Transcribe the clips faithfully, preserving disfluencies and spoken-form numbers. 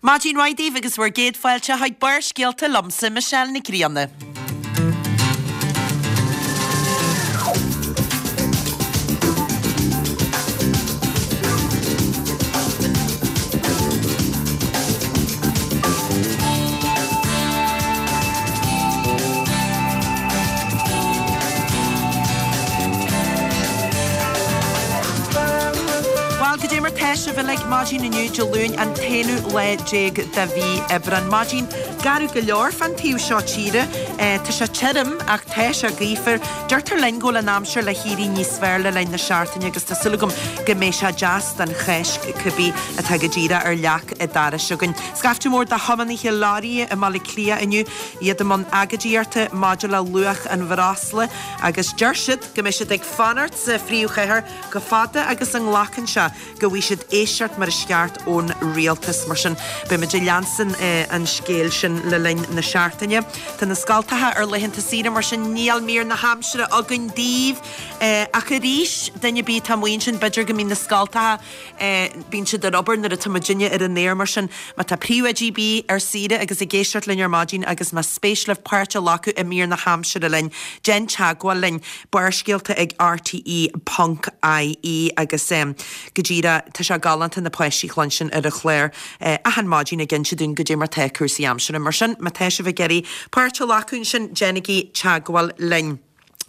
Maidin mhaith daoibh agus bhur gcéad fáilte chuig Barrscéalta liomsa, Michelle Nic Grianna. Bhuel, goidé mar tá sibh uilig maidin inniu, Dé Luain an t-aonú lá déag de mhí Aibreán. Maidin garbh go leor fán taobh seo tíre. Tá sé tirim ach tá sé gaofar. Deirtear linn go bhfuil an aimsir le héirí níos fearr le linn na seachtaine agus tá súil agam go mbeidh sé deas don Cháisc cibé atá go díreach ar leac an dorais againn. Scaifte mór de thiománaithe leoraí i mBaile Átha Cliath inniu, iad i mbun agóidíochta maidir le luach an bhreosla agus deir siad go mbeidh siad ag fanacht sa phríomhchathair chomh fada agus a nglacann sé go bhfaighidh siad éisteacht mar is ceart ón rialtas. Mar sin, beimid ag leanstan an scéil sin le linn na seachtaine. Tá na scoltacha ar laethanta saoire, mar sin níl mír na haimsire againn daoibh. Ach arís, duine ar bith atá amuigh ansin, b'fhéidir go mbíonn na scoltacha, bíonn siad ar obair nuair atá muidinne ar an aer, mar sin má tá príomhoidí ar bith ar saoire agus ag éisteacht linn ar maidin agus más spéis libh páirt a ghlacadh i mír na haimsire linn, déan teagmháil linn, Barrscéalta ag rte ponc ie agus go díreach tá sé galánta na páistí a chluinstin ar an chlár achan maidin ag inse dúinn goidé mar tá cúrsaí aimsire. Mar sin, má tá sibh ag iarraidh páirt a ghlacadh ansin, déanaigí teagmháil linn.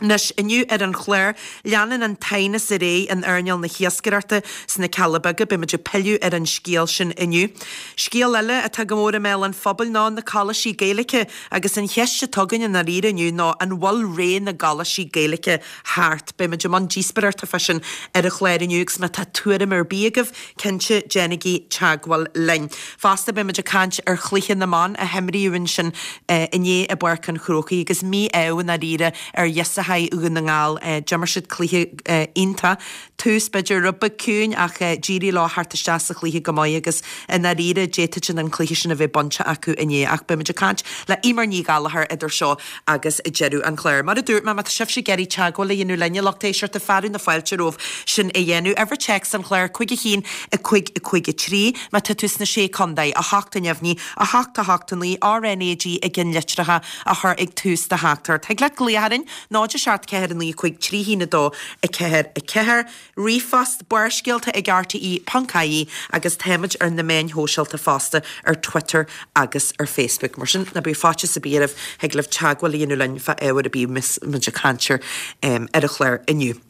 Anois, inniu ar an chlár, leanann an t-aighneas ar aghaidh in earnáil na hiascaireachta sna Cealla Beaga. Beimid ag pilleadh ar an scéal sin inniu. Scéal eile atá go mór i mbéal an phobail ná na coláistí Gaeilge agus an cheist atá againn i ndáiríre inniu ná an bhfuil ré na gcoláistí Gaeilge thart? Beimid i mbun díospóireachta fá sin ar an chlár inniu agus má tá tuairim ar bith agaibh, cinnte déanaigí teagmháil linn. Fosta beimid ag caint ar chluiche na mban a himríodh ansin inné i bPáirc an Chrócaigh agus mí-ádh i ndáiríre ar dhíosacháí Dhún na nGall. D'imir siad cluiche iontach. Tús b'fhéidir rud beag ciúin ach d'éirigh leo theacht isteach sa chluiche go maith agus i ndáiríre d'fhéadfadh an cluiche sin a bheith bainte acu inné. Ach beimid ag caint le Eimear Ní Ghallchóir idir seo agus deireadh an chláir. Mar a dúirt mé, má tá sibhse ag iarraidh teagmháil a dhéanamh linn, a lucht éisteachta, fearadh na fáilte romhaibh sin a dhéanamh. Uimhir téacs an chláir, cúig a haon, a cúig, a cúig a trí. Má tá tú sna Sé Contae, a hocht a neamhní, a hocht a hocht a naoi, RnaG i gceannlitreacha a chur ag tús do theachtaireacht. Thig leat glaoch orainn, náid a seacht ceathair a naoi cúig trí haon a dó a ceathair a ceathair. Ríomhphost, Barrscéalta ag rte ponc ie agus táimid ar na meáin shóisialta fosta, ar Twitter agus ar Facebook. Mar sin, ná bíodh faitíos ar bith oraibh, thig libh teagmháil a dhéanamh linn fá ábhar ar bith a mbeas muid ag caint air ar an chlár inniu.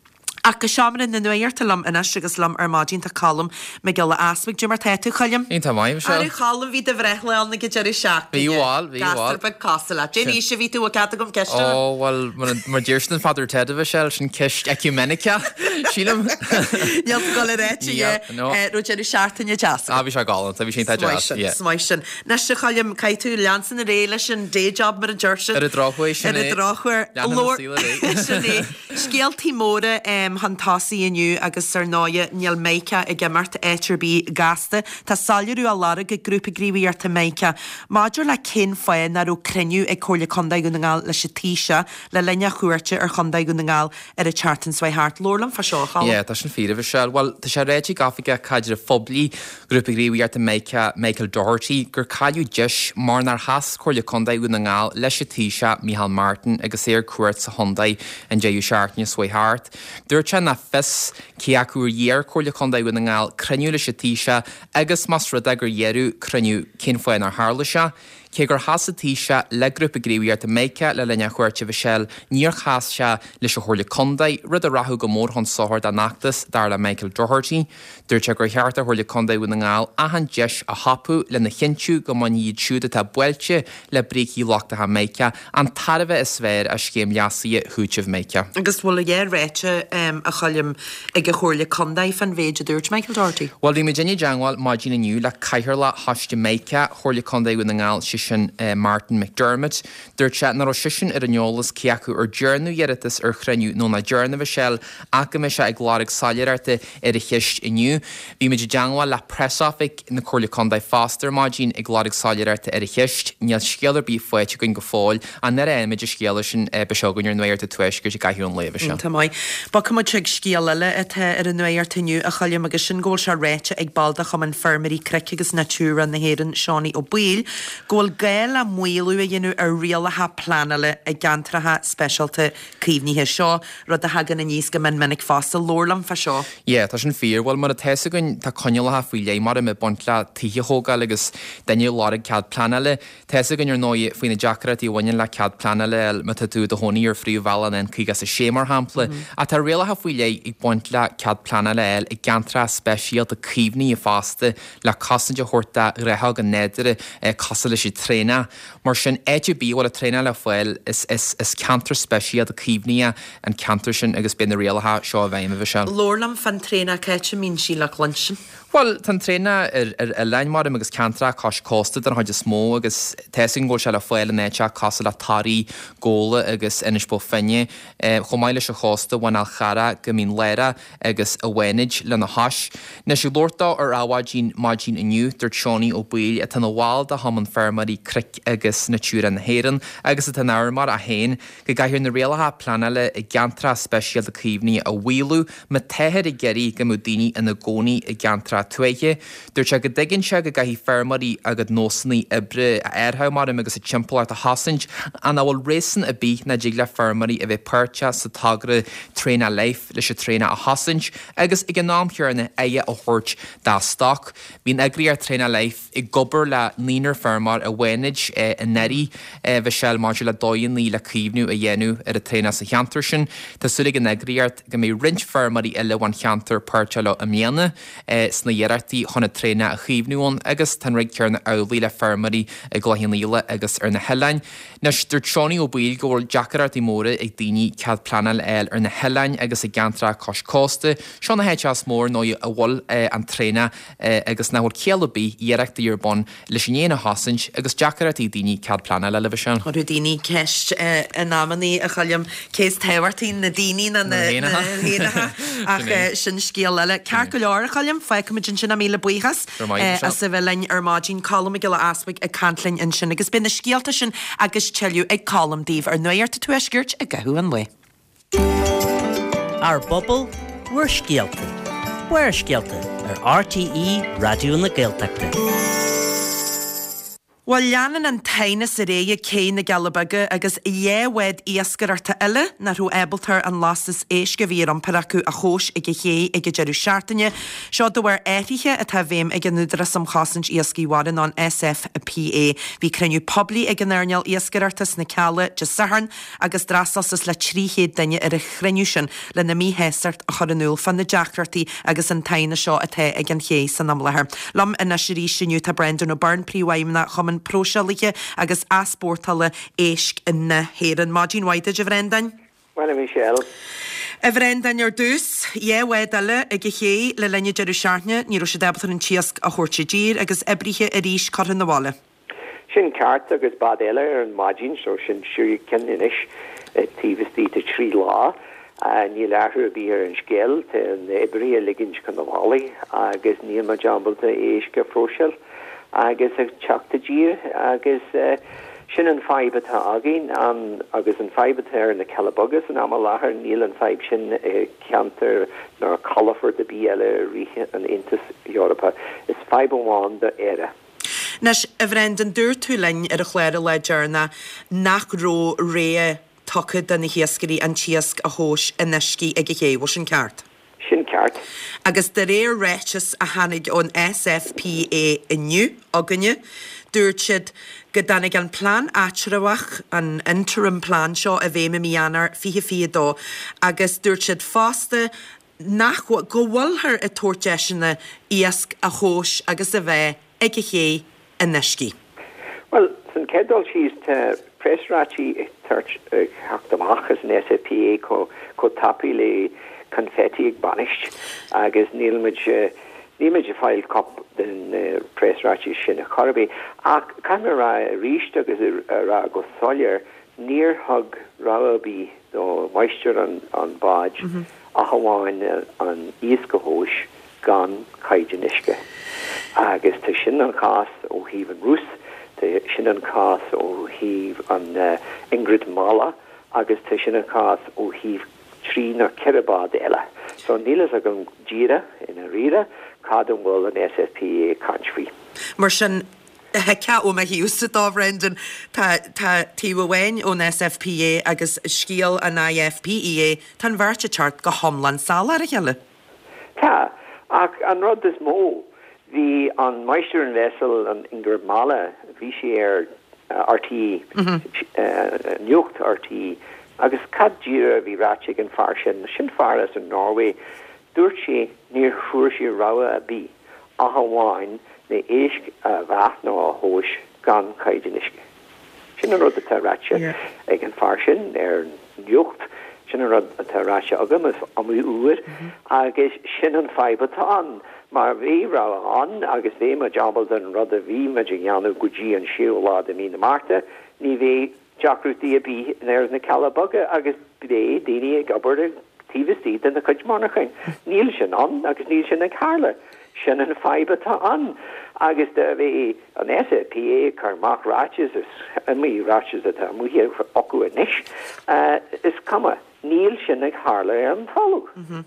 Ach go seomra na nuachta liom anois agus liom ar maidin tá Colm Mac Giolla Easbuig. Goidé mar tá tú, Choilm? Iontach maith, Michelle. Arú Choilm, bhí do bhreithlá ann ag an deireadh seachtaine. Bhí bhuel, bhí bhuel. Gasúr beag cosúil leat. Cén aois a bhí tú, bhfuil cead agam ceist a. Ó, bhuel, mar deir siad in Father Ted, a Mhichelle, sin ceist ecumeniceach, sílim. Níl tú ag dul a ráit, yeah. No. Raibh deireadh seachtaine deas agat? Ah, bhí sé galánta, bhí sé iontach deas, yeah. Is maith sin, is maith sin. Anois, a Choilm, caithfidh tú leanstan ar aghaidh leis an day job mar a deir siad. Ar an drochuair, sin é. Ar an drochuair. Leanann an saol ar aghaidh. Sin é. Scéaltaí móra chun tosaigh inniu agus ar ndóighe níl Meiriceá ag imeacht áit ar bith gasta. Tá soiléiriú á lorg ag Grúpa Gníomhaíochta Meiriceá maidir le cén fáth nach raibh cruinniú ag Comhairle Contae Dhún na nGall leis an Taoiseach le linn a chuairte ar Chontae Dhún na nGall ar an tseachtain seo thart. Labhair liom fá seo, a Cholm. Yeah, tá sin fíor, a Mhichelle. Bhuel, tá sé ráite ag Oifigeach Caidrimh Phoiblí Ghrúpa Gníomhaíochta Meiriceá, Michael Doherty, gur cailleadh deis mar nár sheas Comhairle Contae Dhún na nGall leis an Taoiseach Micheál Martin agus é ar cuairt sa chontae an deireadh seachtaine seo thart. Dúirt sé nach fios cé acu ar iarr Comhairle Contae Dhún na nGall cruinniú leis an Taoiseach agus más rud é gur iarradh cruinniú cén fáth nár tharla sé. Cé gur sheas an Taoiseach le Grúpa Gníomhaíochta Meiriceá le linn a chuairte, a Mhichelle, níor sheas sé leis an Chomhairle Contae, rud a rachadh go mór chun sochair dá n-fheachtas, dar le Michael Doherty. Dúirt sé gur cheart do Chomhairle Contae Dhún na nGall achan deis a thapú lena chinntiú go mbainfidh iad siúd atá buailte le brící lochtacha Meiriceá an tairbhe is fearr as scéim leasaithe chúitimh Meiriceá. Agus bhfuil a dhath ráite, a Choilm, ag an Chomhairle Contae fán mhéid a dúirt Michael Doherty? Bhuel, bhí muid i dteangmháil maidin inniu le Cathaoirleach Choiste Meiriceá Chomhairle Contae Dhún na nGall, sé sin Martin McDermott. Dúirt sé nach raibh seisean ar an eolas cé acu ar dearnadh iarratas ar chruinniú nó nach ndearnadh, a Mhichelle, ach go mbeidh sé ag lorg soiléireachta ar an cheist inniu. Bhí muid i dteagmháil le preasoifig na Comhairle Contae fosta ar maidin ag lorg soiléireachta ar an cheist. Níl scéal ar bith faighte againn go fóill. Ach nuair a fhaighimid an scéala sin beidh sé againn ar Nuacht an Tuaiscirt i gcaitheamh an lae seo. Tá maith. Bogfaidh muid chuig scéal eile atá ar an nuacht inniu, a Choilm, agus sin go bhfuil sé ráite ag ball de Chumann Feirmeoirí Cnoic agus Natura na hÉireann, Seánie Ó Baoill, go bhfuil gá le maolú a dhéanamh ar rialacha pleanála i gceantracha speisialta caomhnaithe. Seo rud a thagann aníos go mion minic fosta. Labhair liom fá seo. Yeah, tá sin fíor. Bhuel, mar atá a fhios againn, tá coinníollacha faoi leith mar ag baint le tithe a thógáil agus duine ag lorg cead pleanála. Tá a fhios againn ar ndóigh faoi na deacrachtaí a bhaineann le cead pleanála a fháil má tá tú i do chónaí ar phríomhbhealach an N caoga is a sé mar shampla. Ach tá rialacha faoi leith ag baint le cead pleanála a fháil i gceantracha speisialta caomhnaithe fosta le cosaint a thabhairt do ghnáthóga nádúrtha cosúil leis an traonach. Mar sin, áit ar bith a bhfuil an traonach le fáil, is is ceantar speisialta caomhnaithe an ceantar sin agus beidh na rialacha seo i bhfeidhm, a Mhichelle. Labhair liom fán traonach, cá háit a mbíonn sí le cluinstin? Bhuel, tá an traonach ar ar oileáin maram agus ceantracha cois cósta den chuid is mó agus tá a fhios againn go bhfuil sé le fáil in áiteacha cosúil le Toraigh, Gabhla agus Inis Bó Finne. Chomh maith leis an chósta bhain Fhál Charrach go Mín Lárach agus an Fhánaid lena chois. Anois ag labhairt dó ar Adhmhaidin maidin inniu, dúirt Seánie Ó Baoill, atá ina bhall de Chumann Feirmeoirí Cnoic agus Natura na hÉireann agus atá ina fheirmeoir é féin, go gcaithfear na rialacha pleanála i gceantracha speisialta caomhnaithe a mhaolú má táthar ag iarraidh go mbeadh daoine ina gcónaí i gceantracha tuaithe. Dúirt sé go dtuigeann sé go gcaithfidh feirmeoirí a gcuid nósanna oibre a áirithiú maram agus a dtimpeallacht a chosaint ach nach bhfuil réasún ar bith nach dtig le feirmeoirí a bheith páirteach sa togra Traonach Life leis an traonach a chosaint agus ag an am chéanna aire a thabhairt dá stoc. Bhí an eagraíocht Traonach Life ag obair le naonúr feirmeoir i bhFánaid anuraidh, a Mhichelle, maidir le dóigheanna le caomhnú a dhéanamh ar an traonach sa cheantar sin. Tá súil ag an eagraíocht go mbeidh roinnt feirmeoirí eile ón cheantar páirteach leo i mbliana sna hiarrachtaí chun an traonach a chaomhnú ann agus tá an rud céanna amhlaidh le feirmeoirí i gCloich Cheann Fhaola agus ar na hoileáin. Anois, dúirt Seánie Ó Baoill go bhfuil deacrachtaí móra ag daoine cead pleanála a fháil ar na hoileáin agus i gceantracha cois cósta. Seo na háiteacha is mó ar ndóigh a bhfuil an traonach agus nach bhfuil ciall ar bith iarrachtaí ar bun leis an éan a chosaint agus deacrachtaí ag daoine cead pleanála a fháil, a Mhichelle. Cuireadh daoine ceist in amannaí, a Choilm, cé is tábhachtaí, na daoine nó na héanacha, ach sin scéal eile. Ceart go leor, a Choilm, fágfaimid ansin é, míle buíochas as a bheith linn ar maidin. Colm Mac Giolla Easbuig ag caint linn ansin agus beidh na scéalta sin agus tuilleadh ag Colm daoibh ar Nuacht an Tuaiscirt i gcaitheamh an lae. Ár bpobal, bhur scéalta. Barrscéalta ar R T E Raidió na Gaeltachta. Bhuel, leanann an t-aighneas ar aghaidh ag Cé na gCealla Beaga agus dhá bhád iascaireachta eile nach raibh ábalta an lastas éisc a bhí ar iompar acu a thomhas ag an ché ag an deireadh seachtaine. Seo de bharr athruithe atá i bhfeidhm ag an Údarás um Chosaint Iascaigh Mhara nó an S F P A. Bhí cruinniú poiblí ag an earnáil iascaireachta sna Cealla Dé Sathairn agus d'fhreastail suas le trí chéad duine ar an chruinniú sin lena míshástacht a chur in iúl fá na deacrachtaí agus an t-aighneas seo atá ag an ché san am láthair. Liom anois arís inniu tá Brendan O'Byrne, Príomhfheidhmeannach Chumann Próiseálaithe agus Easpórtála Éisc na hÉireann. Maidin mhaith duit, a Bhrendain. Well, Michelle. A Bhrendain, ar dtús, dhá bhád eile ag an ché le linn an deireadh seachtaine, ní raibh siad ábalta an t-iasc a thabhairt i dtír agus oibrithe arís curtha na bhaile. Sin ceart agus bád eile ar an maidin, so sin sé cinn anois taobh istigh de trí lá. Uh, níl athrú ar bith ar an scéal tá na oibrithe ag ligint chun na bhaile agus níl muid ábalta éisc a phróiseáil agus ag teacht i dtír agus uh, sin an fadhb atá againn an, agus an fadhb atá ar na Cealla Beaga san am i láthair níl an fadhb sin i ceantar ná calafort ar bith eile i rith an Aontas Eorpaigh. Is fadhb amháin d'Éire. Anois, a Bhrendan, dúirt tú linn ar an chlár an lá deireanach nach raibh rogha tugtha do na hiascairí an t-iasc a thomhas in uiscí ag an ché, bhfuil sin ceart? Sin ceart. Agus de réir ráiteas a tháinig ón S F P A inniu againne, dúirt siad go dtáinig an plean eatramhach, an interim plan seo i bhfeidhm i mí Eanáir fiche fiche dó agus dúirt siad fosta nach go bhfuilthear ag tabhairt deiseanna iasc a thomhas agus a bheith ag an ché in uiscí. Well, san chéad dul síos tá preasráití teacht amach as an S F P A chomh tapaidh le confetti ag bainis agus níl muid Níl muid ag fáil cóip den preasráiteas sin ar chor ar bith, ach caithfidh mé a rá arís agus a rá go soiléir, níor thug rogha ar bith do mháistir an bháid ach amháin an iasc a thomhas gan caighdeán uisce. Agus tá sin an cás ó thaobh an Rús, tá sin an cás ó thaobh an Ingrid Mala agus tá sin an cás ó thaobh trí nó ceithre bád eile. So níl fhios agam díreach i ndáiríre cad an bhfuil an SFPA ag caint faoi. Mar sin, thuigfeá ó mo thaobhsa dó, Brendan, tá tá taobh amháin ón SFPA agus scéal an IFPEA, tá an bheirt ag teacht go hiomlán salach ar a chéile. Tá, ach an rud is mó, bhí an máistir an vessel, an Ingrid Mala, bhí sé ar RTÉ, Nuacht RTÉ, agus cad díreach a bhí ráite ag an fear sin, sin fear as an Norway, dúirt sé níor fuair sé rogha ar bith ach amháin na éisc a mheá nó a thomhas gan caighdeán uisce. Sin an rud atá ráite ag an fear sin ar Nuacht, sin an rud atá ráite agam is iomaí uair agus sin an fadhb atá ann. Mar bhí rogha ann agus bhí muid ábalta an rud a bhí muid a dhéanamh go dtí an séú lá de mí na Márta, ní bheidh deacrachtaí ar bith ar na Cealla Beaga agus beidh daoine ag obair taobh istigh de na cuid monarchain. Níl sin ann agus níl sin ag tarlú. Sin an fadhb atá ann. Agus do bhí an SFPA ag cur amach ráiteas is iomaí ráiteas atá amuigh acu anois, is cuma, níl sin ag tarlú ar an talamh.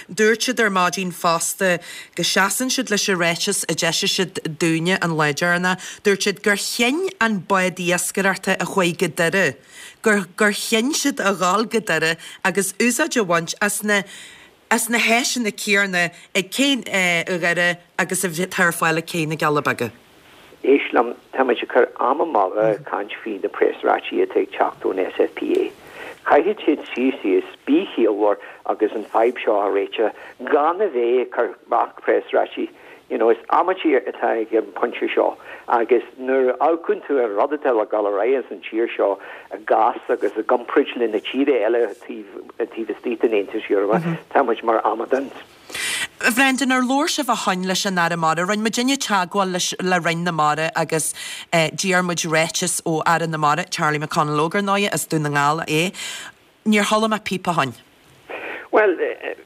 Dúirt siad ar maidin fosta go seasann siad leis an ráiteas a d'eisigh siad dúinne an lá deireanach. Dúirt siad gur chinn an bád iascaireachta a chuaigh go Doire, gur gur chinn siad a dhul go Doire agus úsáid a bhaint as na as na háiseanna céanna ag cé Dhoire agus a atá ar fáil ag cé na gCealla Beaga. Éist liom, tá muid ag cur am amú ag caint faoi na preasráití atá ag teacht ón SFPA. Caithfidh siad suí síos, bí ciallmhar agus an fadhb seo a réiteach gan a bheith ag cur amach preasráití. You know, is amaidí atá ag an pointe seo agus nuair a amharcann tú ar rud atá le dul ar aghaidh an tír seo i gcás agus i gcomparáid le na tíre eile taobh taobh istigh den Aontas Eorpach, tá muid mar amadáin. Brendan, ar labhair sibh ó shin leis an Aire Mara, rinne muidinne teagmháil leis le Roinn na Mara agus d'iarr muid ráiteas ó Aire na Mara, Charlie McConalogue ar ndóigh, as Dún na nGall é. Níor chuala mé píp ó shin. Well,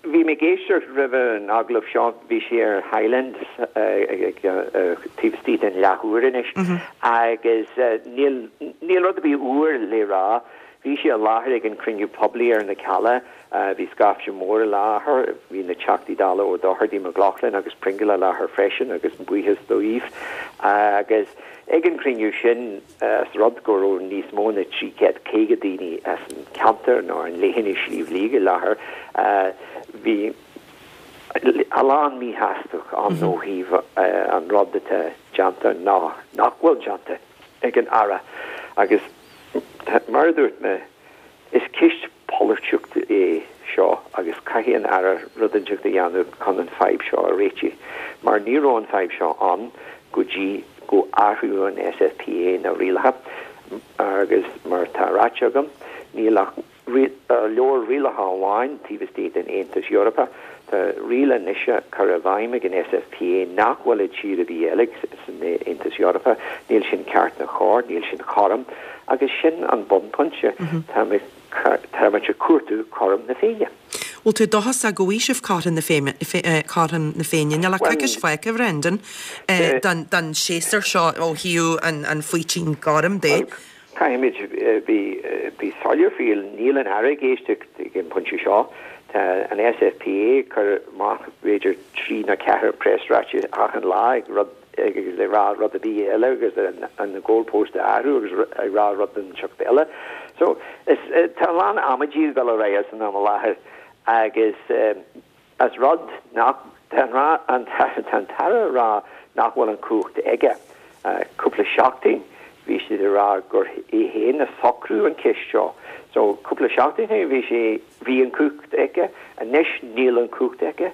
bhí mé ag éisteacht roimh an agallamh seo, bhí sé ar Highland taobh istigh den leathuair anois agus níl níl rud ar bith úr le rá. Bhí sé i láthair ag an cruinniú poiblí ar na Cealla, bhí scaifte mór i láthair, bhí na Teachtaí Dála Ó Dochartaigh, McLaughlin agus Pringle i láthair freisin agus buíochas dóibh. Agus ag an cruinniú sin as rud go raibh níos mó ná trí chéad caoga daoine as an ceantar nó an leithinis Sliabh Liag i láthair, bhí a lán míshástacht ann ó thaobh an rud atá déanta ná nach bhfuil déanta ag an Aire. Agus mar a dúirt mé, is ceist polaitíochta é seo agus caithfidh an Aire rud inteacht a dhéanamh chun an fadhb seo a réiteach, mar ní raibh an fadhb seo ann go dtí go athrú an SFPA na rialacha agus mar atá ráite agam, níl ach leabhar rialacha amháin taobh istigh den Aontas Eorpach. Tá riail anois curtha i bhfeidhm ag an SFPA nach bhfuil i tír ar bith eile san Aontas Eorpach. Níl sin ceart ná cóir, níl sin cothrom agus sin an bunphointe. Tá muid ag cuartú cothrom na Féinne. Bhfuil tú dóchasach go bhfaighidh sibh cothrom na Féinne, cothrom na Féinne? Níl ach coicís fágtha, Brendan, don don séasúr seo ó thaobh an an faoitín gorm de. Caithfimid bí soiléir faoi, níl an Aire ag éisteacht ag an bpointe seo. Tá an SFPA ag cur amach b'fhéidir trí nó ceathair preasráiteas achan lá ag rud agus ag rá rud ar bith eile agus an goalpost a athrú agus ag rá rud inteacht eile. So is tá a lán amaidí ag dul ar aghaidh san am i láthair agus as rud nach tá an tá an tAire ag rá nach bhfuil an cumhacht aige. Cúpla seachtain bhí siad ag rá gur é féin a socrú an ceist seo. So cúpla seachtain bhí sé bhí an cumhacht aige, anois níl an cumhacht aige.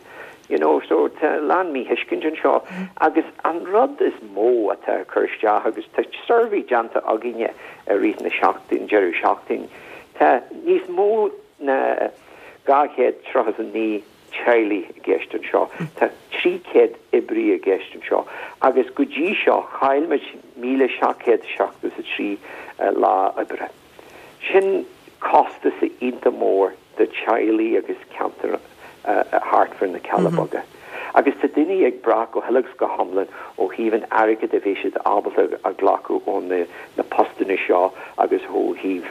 You know, so tá a lán míthuiscint anseo agus an rud is mó atá cur isteach agus tá suirbhé déanta againne i rith na seachtain deireadh seachtain, tá níos mó ná dhá chéad tríocha a naoi teaghlaigh i gceist anseo, tá trí chéad oibrí i gceist anseo agus go dtí seo chaill muid míle seacht gcéad seachtó is a trí lá oibre. Sin costas iontach mór do teaghlaigh agus ceantar thart fá na Cealla Beaga. Agus tá daoine ag brath go huile agus go hiomlán ó thaobh an airgid a bheidh siad ábalta a ghlacadh ó na na postanna seo agus ó thaobh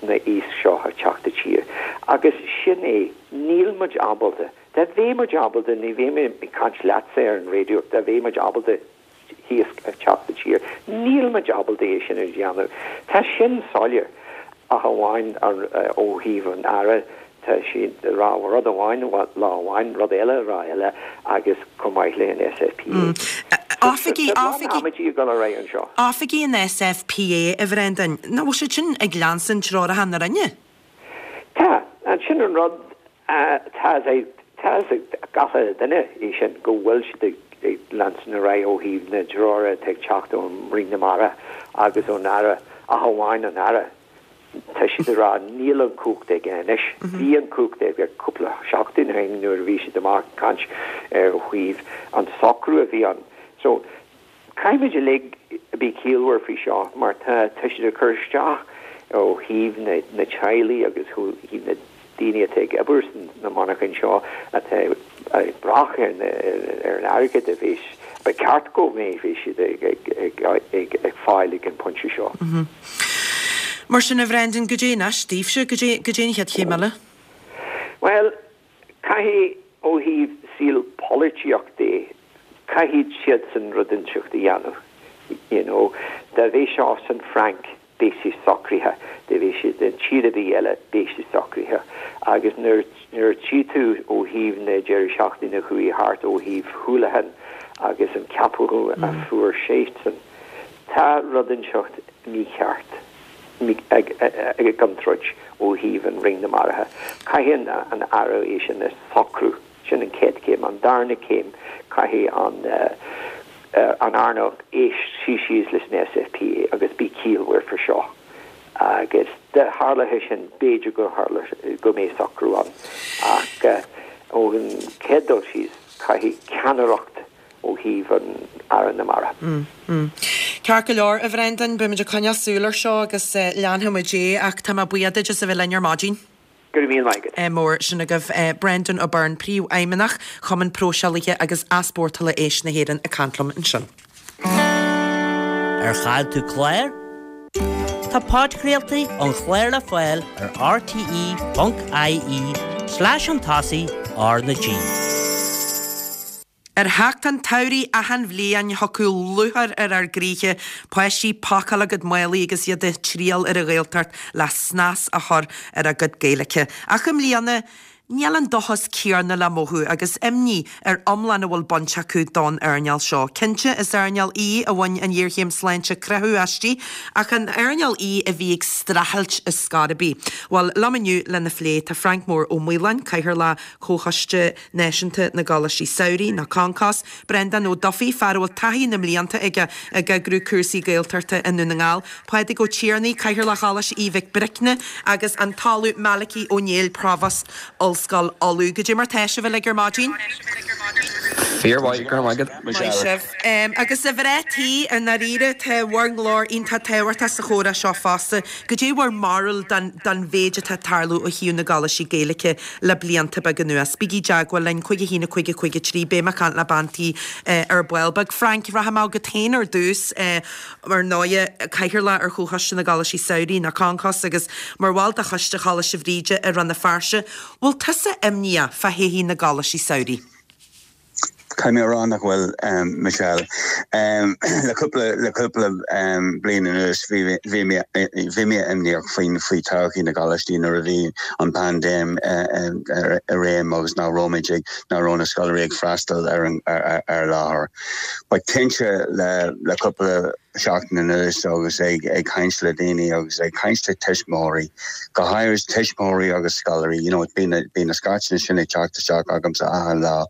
na iasc seo a teacht i tír. Agus sin é, níl muid ábalta, dá mbeadh muid ábalta, ní bheadh mé ag caint leatsa ar an raidió, dá mbeadh muid ábalta iasc a teacht i tír, níl muid ábalta é sin a dhéanamh. Tá sin soiléir, ach amháin ó thaobh an Aire, tá siad ag rá rud amháin lá amháin, rud eile lá eile agus chomh maith le an SFPA. Oifigí, oifigí, ag dul ar aghaidh anseo. Oifigí an SFPA, a Bhrendan, nach bhfuil siad sin ag leanstan treoracha na Roinne? Tá, sin an rud, tá a fhios ag gach uile duine é sin, go bhfuil siad ag leanstan ar aghaidh ó thaobh na dtreoracha atá ag teacht ón Roinn na Mara agus ón Aire, ach amháin an Aire. Tá siad ag rá níl an cumhacht aige anois. Bhí an cumhacht aige cúpla seachtain ó shin nuair a bhí siad amach ag caint ar thaobh an socrú a bhí ann. So, caithfimid uilig a bheith ciallmhar faoi seo mar tá tá siad ag cur isteach ó thaobh na na teaghlaigh agus ó thaobh na daoine atá ag obair sna monarchain seo atá ag brath ar na ar an airgead a bheas ba cheart go mbeadh siad ag ag ag ag ag fáil ag an bpointe seo. Mar sin, a Bhrendan, goidé anois daoibhse, goidé goidé an chéad chéim eile? Bhuel, caithfidh ó thaobh saol polaitíocht de, caithfidh siadsan rud inteacht a dhéanamh. You know, dá mbeadh seo san Fhrainc, beidh sé socraithe, dá mbeadh sé i dtír ar bith eile, beidh sé socraithe. Agus nuair nuair a tchí tú ó thaobh na deireadh seachtaine a chuaigh thart ó thaobh Houlihan agus an ceapadh a fuair seisean, tá rud inteacht mícheart ag ag an troid ó thaobh an Roinn na Mara. Caithfidh an Aire é sin a shocrú, sin an chéad chéim. An darna céim, caithfidh an an earnáil éist suí síos leis an SFPA agus bí ciallmhar faoi seo. Agus dá tharlódh sin, b'fhéidir go tharlódh go mbeidh socrú ann. Ach ón chéad dul síos, caithfidh ceannaireacht ó thaobh an Aire na Mara. Ceart go leor, a Bhrendan, beimid ag coinneáil súil ar seo agus leanfaidh muid é ach tá mé buíoch duit as a bheith linn ar maidin. Go raibh míle maith agat. Mór sin agaibh Brendan O'Byrne, Príomhfheidhmeannach Chumann Próiseálaithe agus Easpórtála Éisc na hÉireann ag caint liom ansin. Ar chaill tú clár? Tá podchraoltaí an chláir le fáil ar rte ponc ie slash an tosaigh R na G. Ar theacht an tsamhraidh achan bhliain thiocfadh lúcháir ar ár gcroíthe, páistí ag pacáil a gcuid málaí agus iad ag triall ar an Ghaeltacht le snas a chur ar a gcuid Gaeilge. Ach i mbliana, níl an dóchas céanna le mothú agus imní ar iomlán a bhfuil baint acu don earnáil seo. Cinnte, is earnáil í a bhain an ghéarchéim sláinte croitheadh aisti, ach an earnáil í a bhí ag streachailt ar scor ar bith? Bhuel, liom inniu lena phlé tá Frank Mór Ó Maoláin, Cathaoirleach Chomhchoiste Náisiúnta na gColáistí Samhraidh, nó Concos, Breandán Ó Dufaigh, fear a bhfuil taithí na mblianta aige ag eagrú cúrsaí Gaeltachta i nDún na nGall, Pádraig Ó Tiarnaigh, Cathaoirleach Choláiste Aoidh Mhic Bricne agus an tOllamh Malachy Ó Néill, Provost Ollscoil Uladh. Goidé mar tá sibh uilig ar maidin? Fíormhaith, go raibh maith agat. Maith sibh. Agus a mhná tí, i ndáiríre, tá bhur nglór iontach tábhachtach sa chomhrá seo fosta. Goidé bhur mbarúil den den mhéid atá ag tarlú ó thaobh na gcoláistí Gaeilge le blianta beaga anuas? Bígí i dteagmháil linn, cúig a haon a cúig a cúig a trí, beidh mé ag caint le bean tí ar ball beag. Frank, rachaidh mé chugat féin ar dtús, ar ndóighe, Cathaoirleach ar Chomhchoiste na gColáistí Samhraidh, nó Concos, agus mar bhall de Choiste Choláiste Bhríde i Rann na Feirste, bhfuil tusa imníoch fá thodhchaí na gColáistí Samhraidh? Caithfidh mé a rá nach bhfuil, Michelle. Le cúpla le cúpla bliain anuas bhí bhí mé bhí mé imníoch faoin faoi todhchaí na gcoláistí nuair a bhí an paindéim i réim agus nach raibh muid ag nach raibh na scoláirí ag freastal ar an ar láthair. But cinnte le le cúpla seachtain anuas agus ag ag caint le daoine agus ag caint le tuismitheoirí, go háirithe tuismitheoirí agus scoláirí, you know, bíonn bíonn na scairt sin ag teacht isteach agamsa achan lá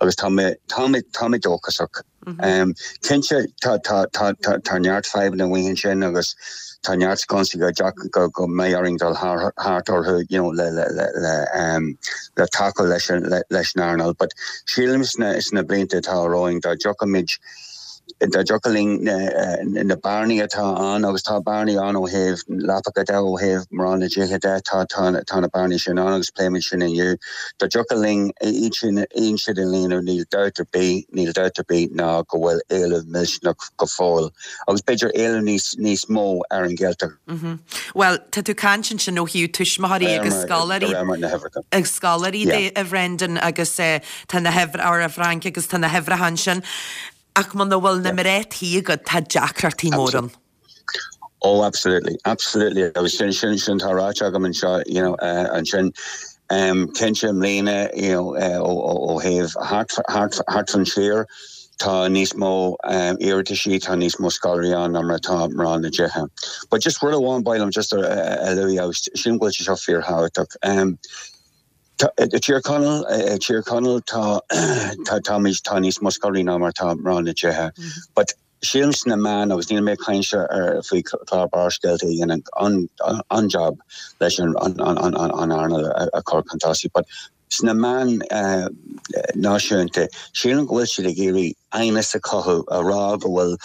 agus tá mé tá mé tá mé dóchasach. Um, cinnte tá tá tá tá tá neart fadhbanna amuigh ansin agus tá neart sconsaí go go go mbeidh orainn dul thart orthu you know, le le le le um, le tacú leis an le, leis an earnáil, but sílim sna sna blianta atá romhainn dá dtiocfaimid dá dtiocfadh linn na, na bearnaí atá ann agus tá bearnaí ann ó thaobh leapacha de ó thaobh mná na dtithe de tá tá tá na bearnaí sin ann agus pléimid sin inniu. Dá dtiocfadh linn iad sin aon siad a líonadh níl dabht ar bith níl dabht ar bith ná go bhfuil éileamh millteanach go fóill agus b'fhéidir éileamh níos níos mó ar an Ghaeltacht. Mm -hmm. Well, tá tú ag caint ansin ó thaobh tuismitheoirí agus scoláirí agus scoláirí de a Bhrendan agus uh, tá na huimhreacha a Frank agus tá na huimhreacha ansin. Ach muna bhfuil na mná tí agat tá deacrachtaí mór ann. Oh, absolutely, absolutely. Agus sin sin sin tá ráite agam anseo, you know, uh, ansin um, cinnte i mbliana you know, uh, ó, ó, ó thaobh thart thart fan tír tá níos mó um, iarrataisí tá níos mó scoláirí ann ná mar atá mná na dtithe. But just rud amháin ba mhaith liom just a, a, a lua sin bhfuil sé seo fíorthábhachtach. Um, I Tír Chonaill Tír Chonaill tá tá tá tá níos mó scoláirí ná mar tá mná na dtithe. But sílim sna meáin agus níl mé ag caint ar faoi chlár Barrscéalta a dhéanann an an job leis an an an an an earnáil a chur chun tosaigh, but sna meáin uh, náisiúnta sílim go bhfuil siad ag iarraidh aighneas a chothú a rá go bhfuil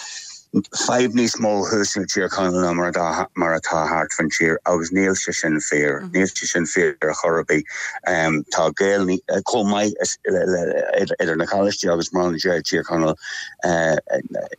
fadhb níos mó thuas i Tír Chonaill ná mar atá mar atá thart fan tír agus níl sé sin fíor níl sé sin fíor ar chor ar bith um, tá Gael chomh maith idir na coláistí agus mná na dtithe Tír Chonaill uh,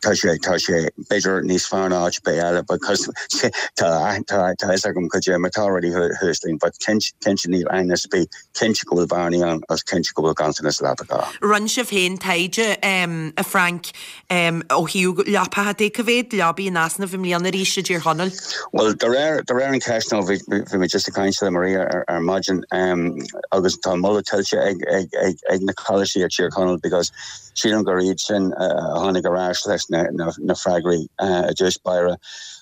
tá sé tá sé b'fhéidir níos fearr ná áit ar bith eile because tá tá tá fhios agam cad é mar tá rudaí thuas linn but cinnte níl aighneas ar bith cinnte go bhfuil bearnaí ann agus cinnte go bhfuil ganntanas leapacha. Rinne sibh féin taighde um, a Frank um, ó thaobh leapacha de cá mhéad leabaí in easnamh i mbliana arís i dTír Chonaill? Well de réir de réir an ceist nó bhí bhí mé just ag caint le Maria ar, ar maidin um, agus tá moladh tuillte ag, ag, ag, ag na coláistí ag Tír Chonaill because sílim gur iad sin uh, tháinig ar ais leis na, na, na freagraí uh, i dtús báire.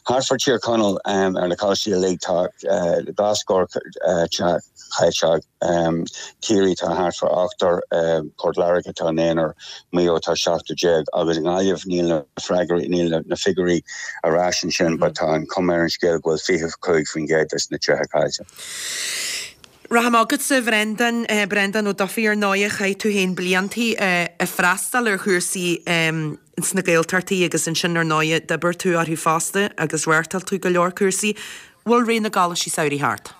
Thart fá Tír Chonaill um, ar na coláistí uilig tá uh, dhá scór uh, teach um, Ciarraí tá thart fá ochtar uh, Port Láirge tá naonúr Maigh Eo tá seachtar déag agus i nGaillimh níl na freagraí níl na, na figiúirí ar ais ansin, but tá an chuma ar an scéal go bhfuil fiche cúig faoin gcéad des na tithe caillte. Rachaidh mé chugatsa Brendan eh, Brendan Ó Dufaigh ar ndóigh chaith tú féin bliantaí eh, ag freastal ar chúrsaí um, sna Gaeltachtaí agus ansin ar ndóigh d'oibir tú orthu fosta agus reáchtáil tú go leor cúrsaí. Bhfuil ré na gcoláistí samhraidh thart.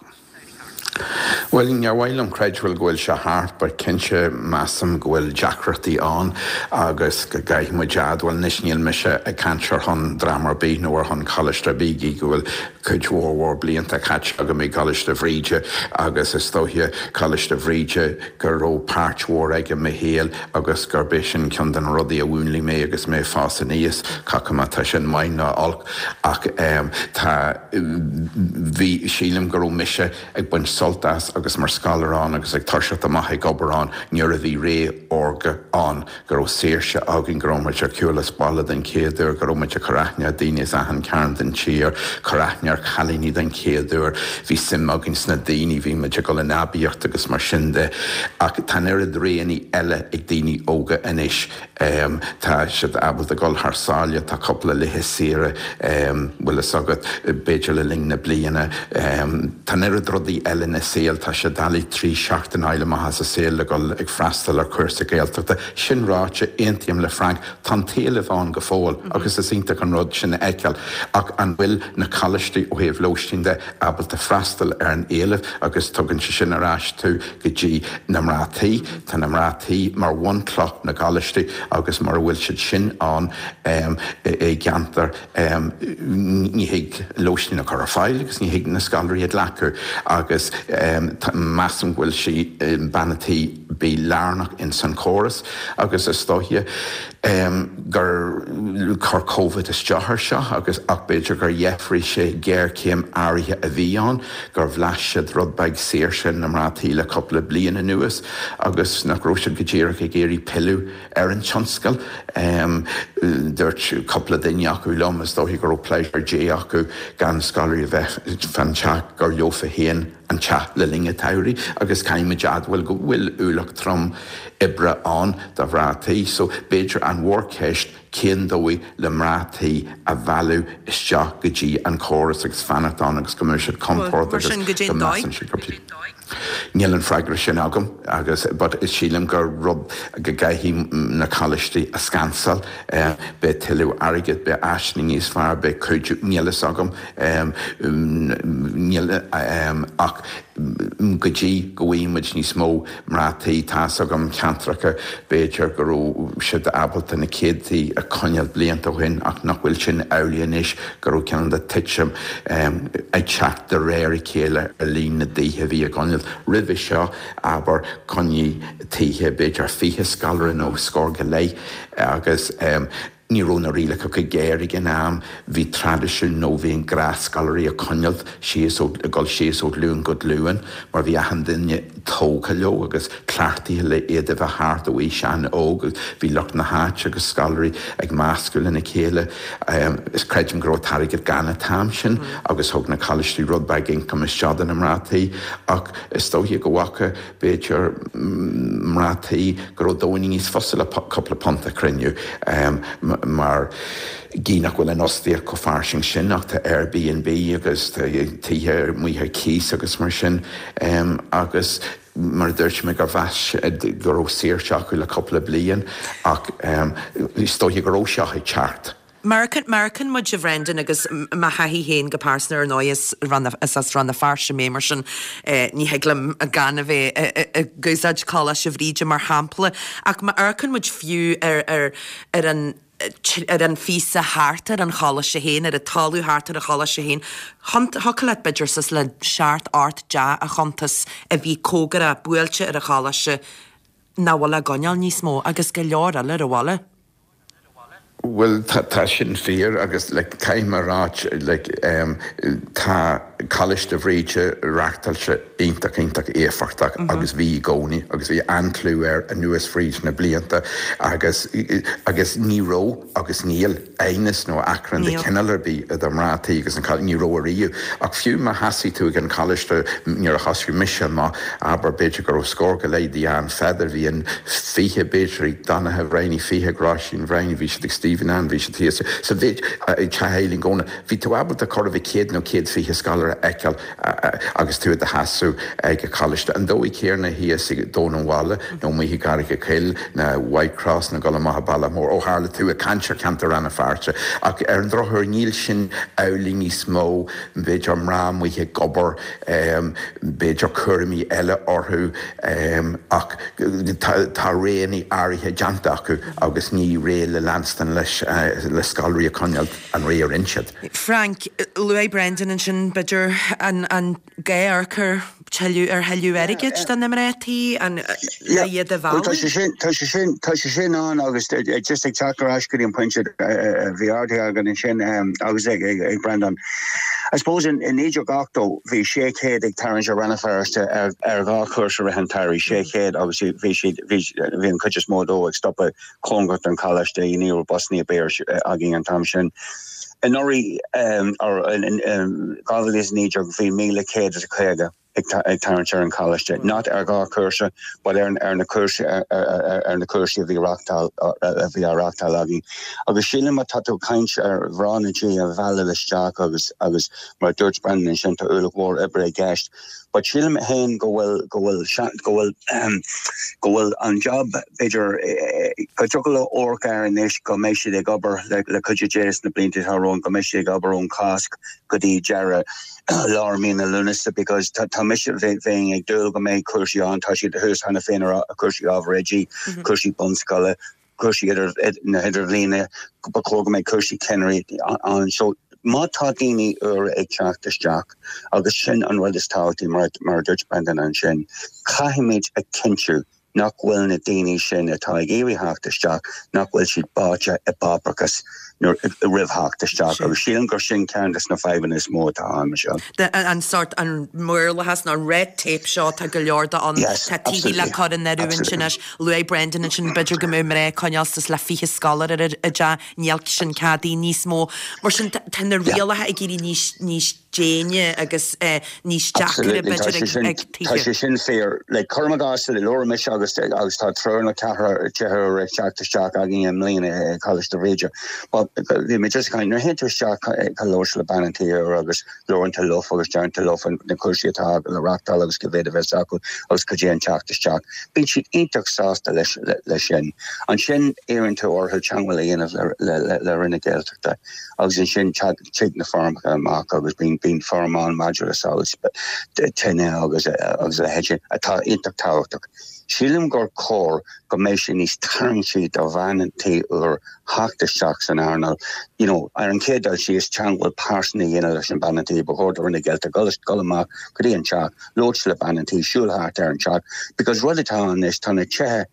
Well níor mhaith liom creidbheáil go bhfuil sé thart, but cinnte measaim go bhfuil deacrachtaí ann agus go gcaithfidh muid admháil anois níl mise ag caint ar shon dream ar bith nó ar shon coláiste ar bith go bhfuil cuid mhór mhór blianta caite agam i gColáiste Bhríde agus is dóiche Coláiste Bhríde go raibh páirt mhór aige i mo shaol agus gurb é sin ceann de na rudaí a mhúnlaigh mé agus mé ag fás aníos cé má tá sin maith nó olc ach um, tá bhí sílim go raibh mise ag baint sult as agus mar scoláire ann agus ag toiseacht amach ag obair ann nuair a bhí ré órga ann go raibh saoirse againn go raibh muid ar shiúl as baile den chéad uair go raibh muid ag cur aithne ar daoine as achan cearn den tír cur aithne ar chailíní den chéad uair bhí suim againn sna daoine bhí muid ag dul in aibíocht agus mar sin de ach tá an oiread roghanna eile ag daoine óga anois um, tá siad ábalta dul thar sáile tá cúpla laetha saoire um, bhfuil fhios agat b'fhéidir le linn na bliana um, tá an oiread rudaí eile ina saol tá sé doiligh trí seachtain a fháil amach as a saol le dul ag freastal ar chúrsa Gaeltachta sin ráite aontaím le Frank tá an t-éileamh ann go fóill mm -hmm. agus is iontach an rud sin a fheiceáil ach an bhfuil na coláistí ó thaobh lóistín de ábalta freastal ar an éileamh agus tugann sé sin ar ais tú go dtí na mná tí Tá na mná tí mar bhunchloch na gcoláistí agus mura bhfuil siad sin ann um, i gceantar um, ní thig lóistín a chur ar fáil agus ní thig na scoláirí a ghlacadh agus um, measaim go bhfuil sí um, bean tí bith lárnach in san chóras agus is dóiche gur chuir Covid isteach air seo agus ach b'fhéidir gur dheifrigh sé géarchéim áirithe a bhí ann, gur bhlais siad rud beag saoirse na mná tí le cúpla bliain anuas agus nach raibh siad go díreach ag iarraidh pilleadh ar an tionscal. Dúirt cúpla duine acu liom is dóiche go raibh pléisiúr Dé acu gan scoláirí a bheith fan teach gur leofa féin an teach le linn an tsamhraidh agus caithfimid a admháil go bhfuil ualach trom oibre ann do mhná tí. So b'fhéidir an mhórcheist cén dóigh le mná tí a mhealladh isteach go dtí an córas agus fanacht ann agus go mbeidh siad compordach agus go measann siad gurb Níl an freagra sin agam agus but sílim gur rud go gcaithfidh na coláistí a scansáil beidh tuilleadh airgid, beidh áiseanna níos fearr, beidh cuidiú, níl fhios agam níl ach go dtí go bhfaighidh muid níos mó mná tí, tá's agam ceantracha b'fhéidir go raibh siad ábalta na céadtaí a choinneáil blianta ó shin ach nach bhfuil sin amhlaidh anois, go raibh cineál de titim ag teacht de réir a chéile ar líon na dtithe a bhí á gcoinneáil. Roimhe seo, abair, choinnigh tithe b'fhéidir fiche scoláire nó scór go leith agus ní raibh na rialacha chomh géar ag an am, bhí traidisiún nó bhí an gnás scoláirí a choinneáil síos ó, ag dul síos ó ghlúin go glúin mar bhí achan duine tógtha leo agus cleachtaithe le iad a bheith thart ó aois an-óg agus bhí lucht na háite agus scoláirí ag meascadh lena chéile. Is creidim go raibh an t-airgead gann an t-am sin agus thug na coláistí rud beag ioncaim isteach do na mná tí ach is dóiche go bhfaca b'fhéidir mná tí go raibh dóigheanna níos fusa le cúpla punt a chruinniú mar gí nach bhfuil an fhostaíocht chomh fairsing sin ach tá Airbnb agus tá tithe amuigh ar cíos agus mar sin agus mar a dúirt mé gur mheas go raibh saoirse acu le cúpla bliain ach is dóiche go raibh seo ag teacht. Mar amharcann muid a Bhrendan agus mo thaithí féin go pearsanta ar ndóigh is is as Rann na Feirste mé mar sin ní thig liom gan a bheith ag úsáid Coláiste Bhríde mar shampla ach má amharcann muid fiú ar ar ar an ar an phíosa thart ar an choláiste féin, ar an talamh thart ar an choláiste féin, thiocfadh leat b'fhéidir suas le seacht ocht dteach a chuntas a bhí cóngarach buailte ar an choláiste nach bhfuil á gcoinneáil níos mó agus go leor eile ar an bhaile. Bhuel tá tá sin fíor agus like caithfidh mé a ráit like um tá Coláiste Bhríde reachtáilte iontach iontach éifeachtach agus bhí i gcónaí agus bhí an-chlú air anuas fríd na blianta agus agus ní raibh agus níl aighneas nó achrann de chineál ar bith idir mná tí agus an ní raibh ariamh ach fiú má sheasaigh tú ag an choláiste nuair a thosaigh mise amach abair b'fhéidir go raibh scór go leith ag Ann Pheadair bhí an fiche b'fhéidir ag Donncha Bhreifne fiche ag Róisín Bhreifne bhí siad ag Stephen Ann bhí siad thíos sa mhéid ag Teach Eileen Dhónaill bhí tú ábalta chóir a bheith céad nó céad fiche scoláire a fheiceáil agus tú i do sheasamh ag an choláiste. An dóigh chéanna thíos ag Dún an Bhaile nó amuigh i gCarraig a' Choill nó Whitecross nó dul amach i Bealach Mór ó tharla tú ag caint ar cheantar Rann na Feirste. Ach ar an drochuair níl sin amhlaidh níos mó, b'fhéidir mná amuigh ag obair, b'fhéidir cúraimí eile orthu ach tá roghanna áirithe déanta acu agus ní réidh le leanstan leis le scoláirí a choinneáil an réidh a rinne siad. Frank, luaigh Brendan ansin b'fhéidir an an gá a chur tuilleadh ar thuilleadh airgid do na mná tí, an le iad a mhealladh? Tá sé sin, tá sé sin, tá sé sin ann agus just ag teacht ar ais go dtí an pointe a bhí ardaithe againn ansin agus ag ag Brendan. I suppose in in naoi déag ochtó bhí sé chéad ag tarraingt ar Rann na Feirste ar ar dhá chúrsa i rith an tsamhraidh, sé chéad agus bhí siad bhí bhí an chuid is mó dó ag stopadh cóngarach don choláiste, ní raibh busanna ar bith againn an t-am sin. Anuraidh or in dhá mhíle is a naoi déag bhí míle céad is a caoga ag tarraingt ar an choláiste, not ar dhá chúrsa but ar ar na cúrsaí ar na cúrsaí a bhí reachtáil a bhí á reachtáil againn. Agus sílim má tá tú ag caint ar mhná na tí a mhealladh isteach agus agus mar a dúirt Brendan ansin tá ualach mhór oibre i gceist but sílim féin go bhfuil go bhfuil go bhfuil go bhfuil an job b'fhéidir go dtiocfadh leo amharc air anois go mbeidh siad ag obair le le cuidiú Dé sna blianta atá romhainn go mbeidh siad ag obair ón Cásc go dtí deireadh lár mí na Lúnasa because tá tá mise bheinn ag dúil go mbeidh cúrsaí ann tá siad thuas cheana féin ar cúrsaí ábhar oidí cúrsaí bunscoile cúrsaí idir na hidirbhliana ba chóir go mbeidh cúrsaí ceannairí ann so má tá daoine úra ag teacht isteach agus sin an rud is tábhachtaí mar mar a dúirt Brendan ansin caithfimid a chinntiú nach bhfuil na daoine sin atá ag iarraidh theacht isteach, nach bhfuil siad báite i bpáipéarachas roimh theacht isteach agus sílim gur sin ceann de na fadhbanna is mó atá ann, Michelle. An sórt an maorlathas nó an red tape seo tá go leor de ann. Tá tithe le cur in oiriúint anois. Luaigh Brendan ansin b'fhéidir go mbeadh mná ag coinneáil suas le fiche scoláire ar a dteach, níl sin ceadaithe níos mó. Mar sin tá na rialacha ag éirí níos níos déine agus níos deacaire b'fhéidir ag tithe. Tá sé sin fíor. Like cuirim i gcás labhair mise agus agus tá triúr nó ceathrar tithe ag teacht isteach againn i mbliana i Coláiste Bhríde. But bhí mé just kind nuair a théann tú isteach ag labhairt le bean an tí úr agus labhrann tú leofa agus deireann tú leofa na cúrsaí atá le reáchtáil agus cá mhéad a bheas acu agus cad é an teacht isteach. Bíonn siad iontach sásta leis leis sin. Ansin iarrann tú orthu teagmháil a dhéanamh le le le Roinn na Gaeltachta agus ansin tig na foirmeacha amach agus bíonn bíonn foirm ann maidir le solas tine agus agus a leithéid sin atá iontach tábhachtach. Sílim gur chóir go mbeidh sé níos tarraingtí do bhean an tí úr theacht isteach san earnáil. You know, ar an chéad dul síos teagmháil pearsanta a dhéanamh leis an bean an tí, ba chóir do Roinn na Gaeltachta dul dul amach go dtí an teach, labhairt le bean an tí, siúl thart ar an teach, because rud atá ann anois tá na tithe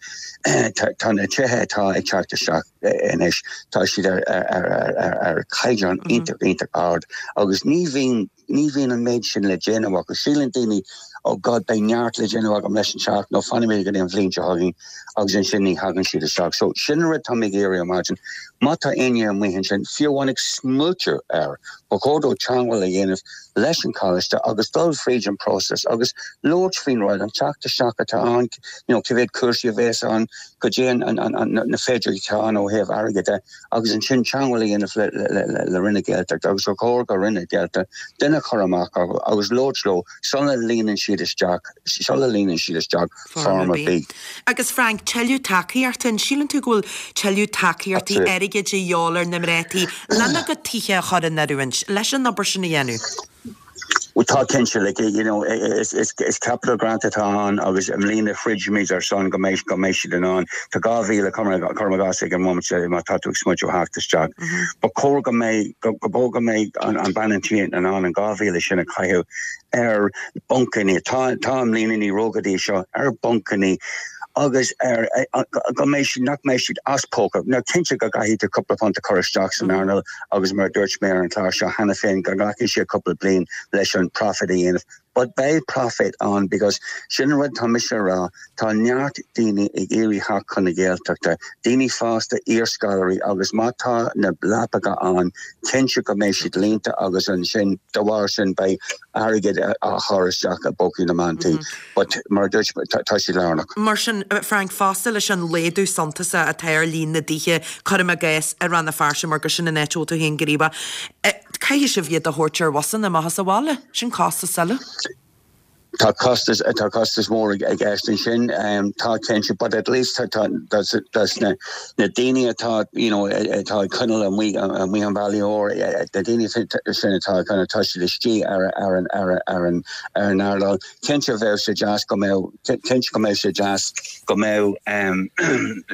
tá na tithe atá ag teacht isteach anois tá siad ar ar ar ar ar caighdeán iontach iontach ard agus ní bhíonn ní bhíonn an méid sin le déanamh acu. Síleann daoine oh God beidh neart le déanamh agam leis an teach nó fanfaidh mé go dtí an bhliain seo chugainn agus ansin ní thagann siad isteach. So sin an rud tá mé ag iarraidh ar maidin. Má tá éinne amuigh ansin fiú amháin ag smaointiú air, ba chóir dó teagmháil a dhéanamh leis an choláiste agus dul fríd an próiseas agus labhairt faoin rud an teacht isteach atá ann, you know, cé mhéad cúrsaí a bheas ann, cad é an, an, an, an, na féidearthachtaí atá ann ó thaobh airgid de, agus ansin teagmháil a dhéanamh le, le, le, le Roinn na Gaeltachta agus gur chóir go Roinn na Gaeltachta duine a chur amach agus labhairt leo sula líonann siad isteach sula líonann siad isteach foirm ar bith. Agus Frank, tuilleadh tacaíochta, an síleann tú go bhfuil tuilleadh tacaíochtaí airgid de dhíobháil ar na mná tí lena gcuid tithe a chur in oiriúint leis an obair sin a dhéanamh? Well tá cinnte like you know is is is capital grant atá ann agus i mbliana throid muid ar son go mbeidh go mbeidh siad in ann tá dhá mhíle cuirim i gcás ag an móimint má tá tú ag smaointiú theacht isteach. Ba chóir go mbeidh go go go mbeidh an an bean an tí in ann an dhá mhíle sin a chaitheamh ar bhancanna tá tá i mbliana ní raibh go dtí seo ar bhancanna agus ar go mbeidh siad nach mbeidh siad as póca. Now cinnte go gcaithfidh tú cúpla punt a chur isteach san earnáil agus mar a dúirt mé ar an chlár seo cheana féin go nglacfaidh sé cúpla bliain leis an profit a dhéanamh. But beidh profit ann because sin an rud tá mise a rá, tá neart daoine ag iarraidh theacht chun na Gaeltachta, daoine fásta iarscoláirí agus má tá na leapacha ann, cinnte go mbeidh siad líonta agus ansin de bharr sin beidh airgead á chur isteach i bpócaí na mban tí. But mar a dúirt tá siad lárnach. Mar sin Frank fosta leis an laghdú suntasach atá ar líon na dtithe, cuirim i gcás i Rann na Feirste mar gur sin an áit a bhfuil tú féin gníomhach. Caithfidh sibh iad a thabhairt ar bhusanna amach as an bhaile, sin costas eile. Tá costas tá costas mór i gceist ansin tá cinnte but at least tá tá na na daoine atá you know atá ag coinneáil amuigh amuigh an bhaile úr na daoine sin atá kind of tá siad istigh ar ar an ar ar an ar an earnáil cinnte bheadh sé deas go mbeadh cinnte go mbeadh sé deas go mbeadh um,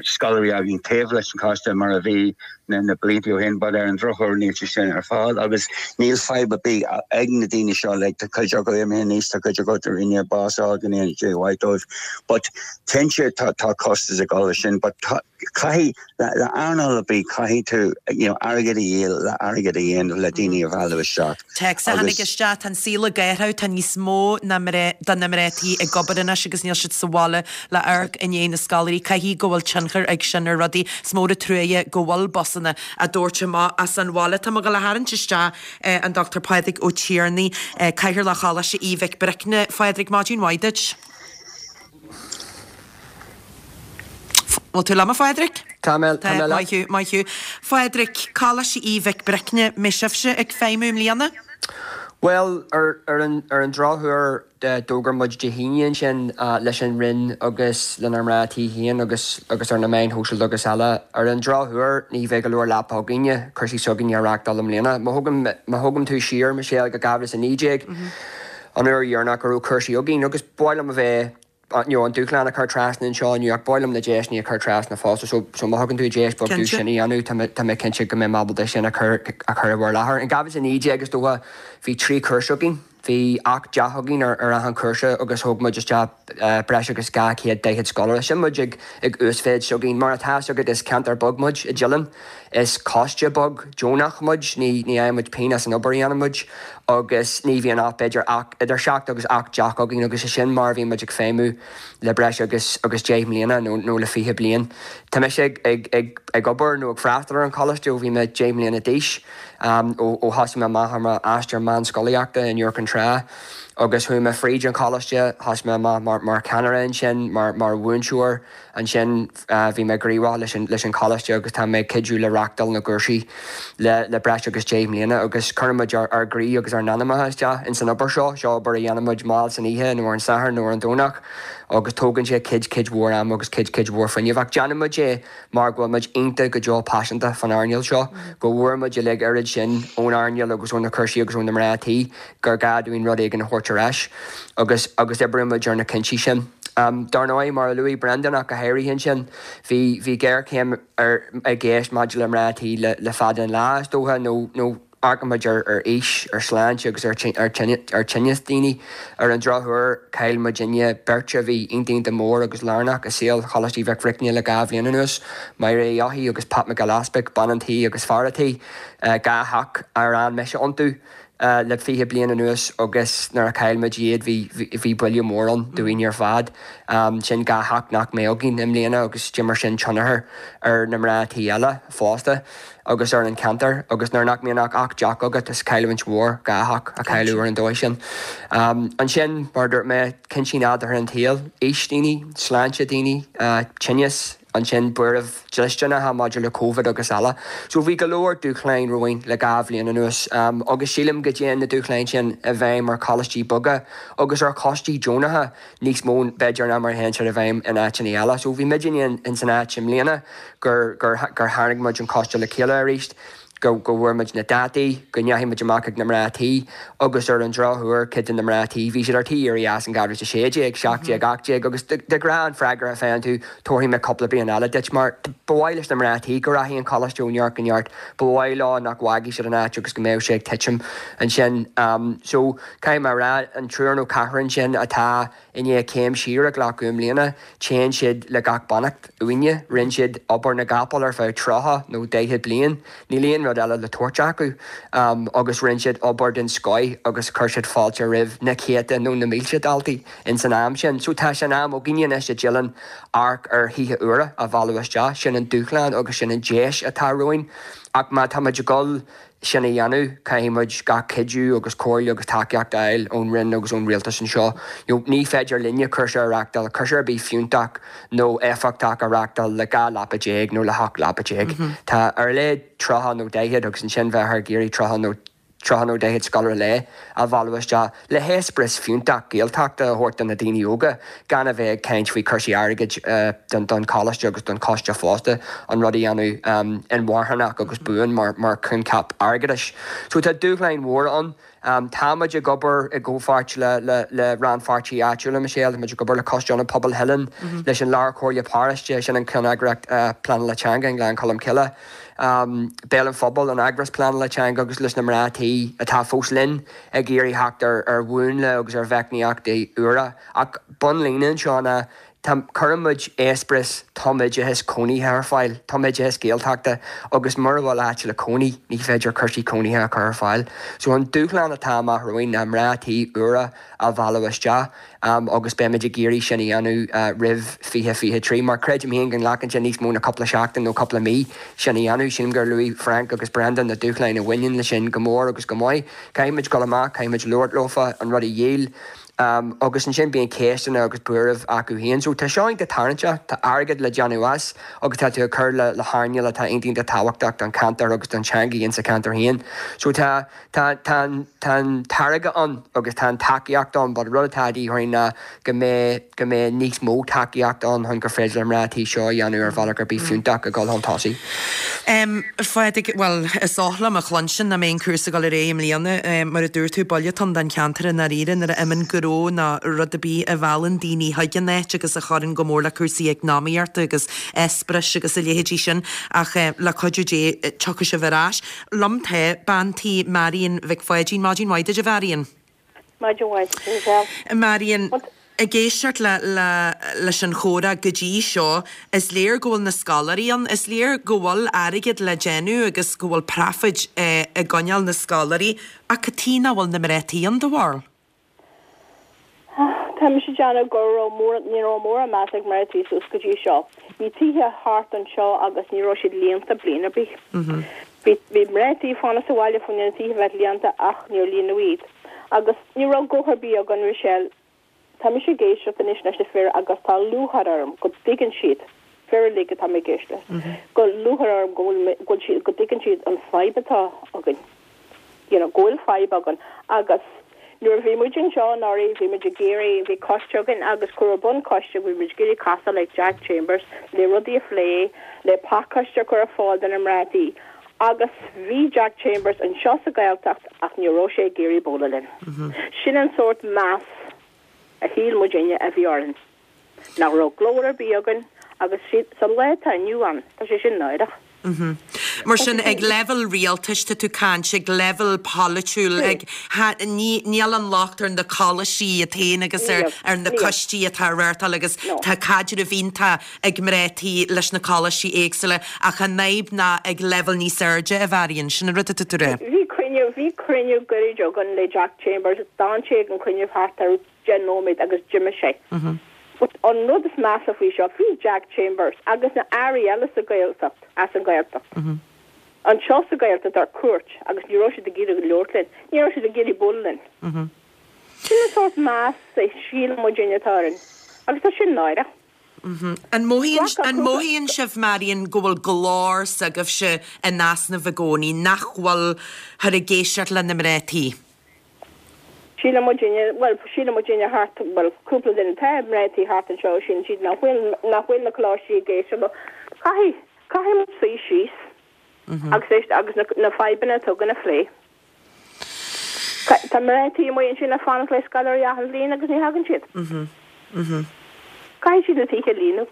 scoláirí againn taobh leis an choiste mar a bhí na na blianta ó shin, but ar an drochuair níl sé sin ar fáil agus níl fadhb ar bith ag na daoine seo like tá cuid acu imithe níos tá cuid acu tar éis bás a fháil go Dé mhaith dóibh. But cinnte tá tá costas ag dul leis sin, but caithfidh le le earnáil ar bith caithfidh tú you know, airgead a dhíol le airgead a dhéanamh le daoine a mhealladh isteach. Téacs a tháinig isteach tá an saol ag athrú tá níos mó na de na mná tí ag obair anois agus níl siad sa bhaile le amharc i ndiaidh na scoláirí caithfidh go bhfuil tionchar ag sin ar rudaí is mór an truaighe go bhfuil busanna á dtabhairt amach as an bhaile. Tá mé ag gabháil a tharraingt isteach an Dr Pádraig Ó Tiarnaigh, Cathaoirleach Choláiste Aoidh Mhic Bricne. Phádraig maidin mhaith duit. Bhfuil tú liom a Phádraig? Tá mé tá mé Maith thú, maith thú. Phádraig, Coláiste Aoidh Mhic Bricne, mbeidh sibhse ag feidhmiú i mbliana? Bhuel, ar ar an ar an drochuair d'fhógair muid Dé hAoine ansin leis an Roinn agus lenár mná tí féin agus agus ar na meáin shóisialta agus eile. Ar an drochuair ní bheidh go leor leapa againne, cúrsaí s'againne a reáchtáil i mbliana. Má thugaim má thugaim tú siar, Michelle, go dhá mhíle is a naoi déag, an uair dheireanach go raibh cúrsaí againn agus ba mhaith liom a bheith you know, an dúshlán a chur trasna anseo inniu ach ba mhaith liom na deiseanna a chur trasna fosta so so má thugann tú deis beag domh Cinnte. sin a dhéanamh tá mé tá mé cinnte go mbeidh mé ábalta sin a chur a chur i bhur láthair. In dhá mhíle is a naoi déag is dócha bhí trí chúrsa againn. Bhí ocht dteach againn ar ar achan chúrsa agus thóg muid isteach breis agus dhá chéad daichead scoláire. Sin muid ag ag uasmhéid s'againn. Mar atá 'fhios agat is ceantar beag muid i dTeileann. Is coiste beag deonach muid, ní ní fhaigheann muid pingin as an obair a dhéanann muid agus ní bhíonn ach b'fhéidir ach idir seacht agus ocht dteach againn agus is sin mar a bhíonn muid ag feidhmiú le breis agus agus deich mbliana nó nó le fiche bliain. Tá mise ag ag ag ag obair nó ag freastal ar an choláiste ó bhí mé deich mbliana d'aois. Ó thosaigh mé amach ar m'aistear meánscolaíochta in Iúr Cinn Trá agus chuaigh mé fríd an choláiste, thosaigh mé amach mar cheannaire ansin, mar mhúinteoir ansin, bhí mé gníomhach leis an leis an choláiste agus tá mé ag cuidiú le reachtáil na gcúrsaí le le breis agus deich mbliana agus cuireann muid ár ár gcroí agus ár n-anamacha isteach ins an obair seo, seo obair a dhéanann muid mall san oíche nó ar an Satharn nó ar an Domhnach agus tógann sé cuid cuid mhór ama agus cuid cuid mhór fuinnimh ach déanann muid é mar go bhfuil muid iontach go deo paiseanta fán earnáil seo, go bhfuair muid uilig oiread sin ón earnáil agus ó na cúrsaí agus ó na mná tí gur gá dúinn rud éigin a thabhairt ar ais agus agus oibríonn muid ar na cinntí sin. Dar ndóigh, mar a luaigh Brendan ach go háirithe ansin, bhí bhí géarchéim ar i gceist maidir le mná tí le le fada an lá, is dócha, nó nó amharcann muid ar aois, ar shláinte agus ar thinneas daoine. Ar an drochuair, chaill muidinne beirt a bhí iontach iontach mór agus lárnach i saol Choláiste Mhic Bhricne le dhá bhliain anuas, Máire Uí Eochaidh agus Pat Mac Giolla Easpaig, bean an tí agus fear a tí, dhá theach ar fhan mise iontu le fiche bliain anuas agus nuair a chaill muid iad bhí bhí buille mór ann dúinn ar fad. Sin dhá theach nach mbeidh againn i mbliana agus d'imir sin tionchar ar na mná tí eile fosta. agus ar an cheantar agus nuair nach mbíonn ach ocht dteach agat is cailliúint mhór dhá theach a chailleadh ar an dóigh sin. Ansin, mar a dúirt mé, cinntí nádúrtha an tsaoil, aois daoine, sláinte daoine, tinneas, ansin buairimh dlisteanacha maidir le Covid agus eile. So bhí go leor dúshláin romhainn le dhá bhliain anuas agus sílim go dtéann na dúshláin sin i bhfeidhm ar choláistí beaga agus ar choistí deonacha níos mó b'fhéidir ná mar a théann siad i bhfeidhm in áiteanna eile. So bhí muidinne in san áit i mbliana gur gur gur tharraing muid an coiste le chéile arís, go go bhfuair muid na dátaí, go ndeachaigh muid amach ag na mná tí agus ar an drochuair cuid de na mná tí bhí siad ar tí éirí as in dhá mhíle a sé déag, seacht déag, ocht déag agus de ghnáth an freagra a faigheann tú tabharfaidh mé cúpla bliain eile duit mar ba mhaith leis na mná tí go rachaidh an coláiste ó neart go neart, ba mhaith leo nach bhfágfaidh siad an áit agus go mbeadh sé ag titim ansin. So caithfidh mé a rá an triúr nó ceathrar ansin atá i ndiaidh céim siar a ghlacadh i mbliana, téann siad le gach beannacht uainne. Rinne siad obair na gcapall ar feadh tríocha nó daichead bliain, níl aon rud eile le tabhairt acu, agus rinne siad obair den scoith agus chuir siad fáilte roimh na céadta nó na mílte daltaí ins an am sin. So tá sé in am againne anois i dTeileann amharc ar thithe úra a mhealladh isteach. Sin an dúshlán agus sin an deis atá romhainn. Ach má tá muid ag dul sin a dhéanamh, caithfidh muid gach cuidiú agus comhairle agus tacaíocht a fháil ón Roinn agus ón Rialtas anseo. You know, ní féidir linne cúrsa a reachtáil, cúrsa ar bith fiúntach nó éifeachtach a reachtáil le dhá leapa déag nó le hocht leapa déag. Tá ar a laghad tríocha nó daichead agus ansin bheith ag iarraidh tríocha nó tríocha nó daichead scoláire lae a mhealladh isteach le heispéireas fiúntach Gaeltachta a thabhairt do na daoine óga, gan a bheith ag caint faoi chúrsaí airgid don choláiste agus don choiste fosta, an rud a dhéanamh inmharthanach agus buan mar choincheap airgeadais. So tá dúshláin mhóra ann. Tá muid ag obair i gcomhpháirt le rannpháirtithe áitiúla, Michelle, tá muid ag obair le Coiste Ionad Pobail Theileann, leis an Lár-Chomhairle Paróiste, sin an ceanneagraíocht pleanála teanga i nGleann Cholm Cille. Béal an Phobail, an eagras pleanála teanga agus leis na mná tí atá fós linn ag iarraidh theacht ar mhúnla agus ar mheicníochtaí úra. Ach bunlíne anseo ná tá, cuireann muid eispéireas tumoideachais cónaithe ar fáil, tumoideachas Gaeltachta agus mura bhfuil áit le cónaí ní féidir cúrsaí cónaithe a chur ar fáil. So an dúshlán atá amach romhainn ná mná tí úra a mhealladh isteach. agus beimid ag iarraidh sin a dhéanamh roimh fiche fiche trí, mar creidim féin go nglacann sé níos mó ná cúpla seachtain nó cúpla mí sin a dhéanamh. Sílim gur luaigh Frank agus Brendan na dúshláin a bhaineann leis sin go mór agus go maith. Caithfidh muid dul amach, caithfidh muid labhairt leofa, an rud a dhíol, agus ansin bíonn ceisteanna agus buairimh acu féin. So tá seo iontach tarraingteach, tá airgead le déanamh as agus tá tú ag cur le hearnáil atá iontach iontach tábhachtach don cheantar agus don teangaidh insa cheantar féin. So tá Tá tá an tá an táirge ann agus tá an tacaíocht ann but rud atá de dhíth orainn ná go mbeidh go mbeidh níos mó tacaíocht ann chun gur féidir le mná tí seo a dhéanamh ar bhealach ar bith fiúntach ag dul chun tosaigh. Em, a Phádraig, bhuel, is oth liom a chluinstin nach mbeidh an cúrsa ag dul ar aghaidh i mbliana. Em, mar a dúirt tú, buille atá ann don cheantar i ndáiríre nuair a imíonn gnó nó rud ar bith a mheallann daoine chuig an áit agus a chuireann go mór le cúrsaí eacnamaíochta agus eispéiris agus a leithéidí sin ach eh, le cuidiú Dé tiocfaidh sibh ar ais. Liom tá bean tí Marion Mhic Pháidín. Maidin mhaith duit a Mharion. Maidin mhaith, Michelle. Marion, ag éisteacht le, le, leis an chomhrá go dtí seo, is léir go bhfuil na scoláirí ann, is léir go bhfuil airgead le déanamh agus go bhfuil profit eh, i gcoinneáil na scoláirí, ach cad chuige nach bhfuil na mná tí ann do bharúil? Tá mise ag déanamh go raibh mór ní raibh mórán meas ag mná tí suas go dtí seo. Bhí tithe thart anseo agus ní raibh siad líonta bliain ar bith. Bhí bhí mná tí fanacht sa bhaile faoi na tithe bheith líonta ach níor líonadh iad. Agus ní raibh guth ar bith againn Michelle. Tá mise ag éisteacht anois leis na fir agus tá lúcháir orm go dtuigeann siad fir uilig atá mé ag éisteacht leis. Go lúcháir orm go bhfuil go bhfuil siad go dtuigeann siad an fadhb atá againn. You know, go bhfuil fadhb againn agus nuair a bhí muid anseo anuraidh bhí muid ag iarraidh bhí coiste againn agus cuireadh bun coiste bhí muid ag iarraidh casadh le Jack Chambers le rudaí a phlé le pacáiste a chur ar fáil do na mná tí. Agus bhí Jack Chambers anseo sa Ghaeltacht ach ní raibh sé ag iarraidh bualadh linn. Sin an sórt meas a shíl muidinne a bhí orainn. Nach raibh glór ar bith againn agus sa lá atá inniu ann, tá sé sin náireach. Mar sin ag leibhéal rialtais tá tú ag caint ag leibhéal polaitiúil ag níl an locht ar na coláistí iad féin agus ar ar na coistí atá á reáchtáil agus tá caidreamh iontach ag mná tí leis na coláistí éagsúla ach an fhadhb ná ag leibhéal níos airde a Mharion sin an rud atá tú a rá. Bhí cruinniú bhí cruinniú gairid againn le Jack Chambers d'fhan sé ag an cruinniú thart ar deich nóiméad agus d'imigh sé. But an rud is measa faoi seo bhí Jack Chambers agus na airí eile sa Ghaeltacht as an Ghaeltacht. Anseo sa Ghaeltacht ar cuairt agus ní raibh siad ag iarraidh labhairt linn, ní raibh siad ag iarraidh bualadh linn. Sin an sórt meas a shíl muidinne atá orainn agus tá sin náireach. An mothaíonn an mothaíonn sibh Marion go bhfuil glór s'agaibhse in easnamh i gcónaí nach bhfuil thar ag éisteacht le na mná tí? Síle muidinne well síle muidinne thart well cúpla duine tá mná tí thart anseo sin siad nach bhfuil nach bhfuil na coláistí ag éisteacht leo. Caithfidh caithfidh muid suí síos agus éist agus na, na fadhbanna atá againn a phlé. Tá mná tí amuigh ansin ag fanacht le scoláirí achan bhliain agus ní thagann siad. Caithfidh siad na tithe a líonadh.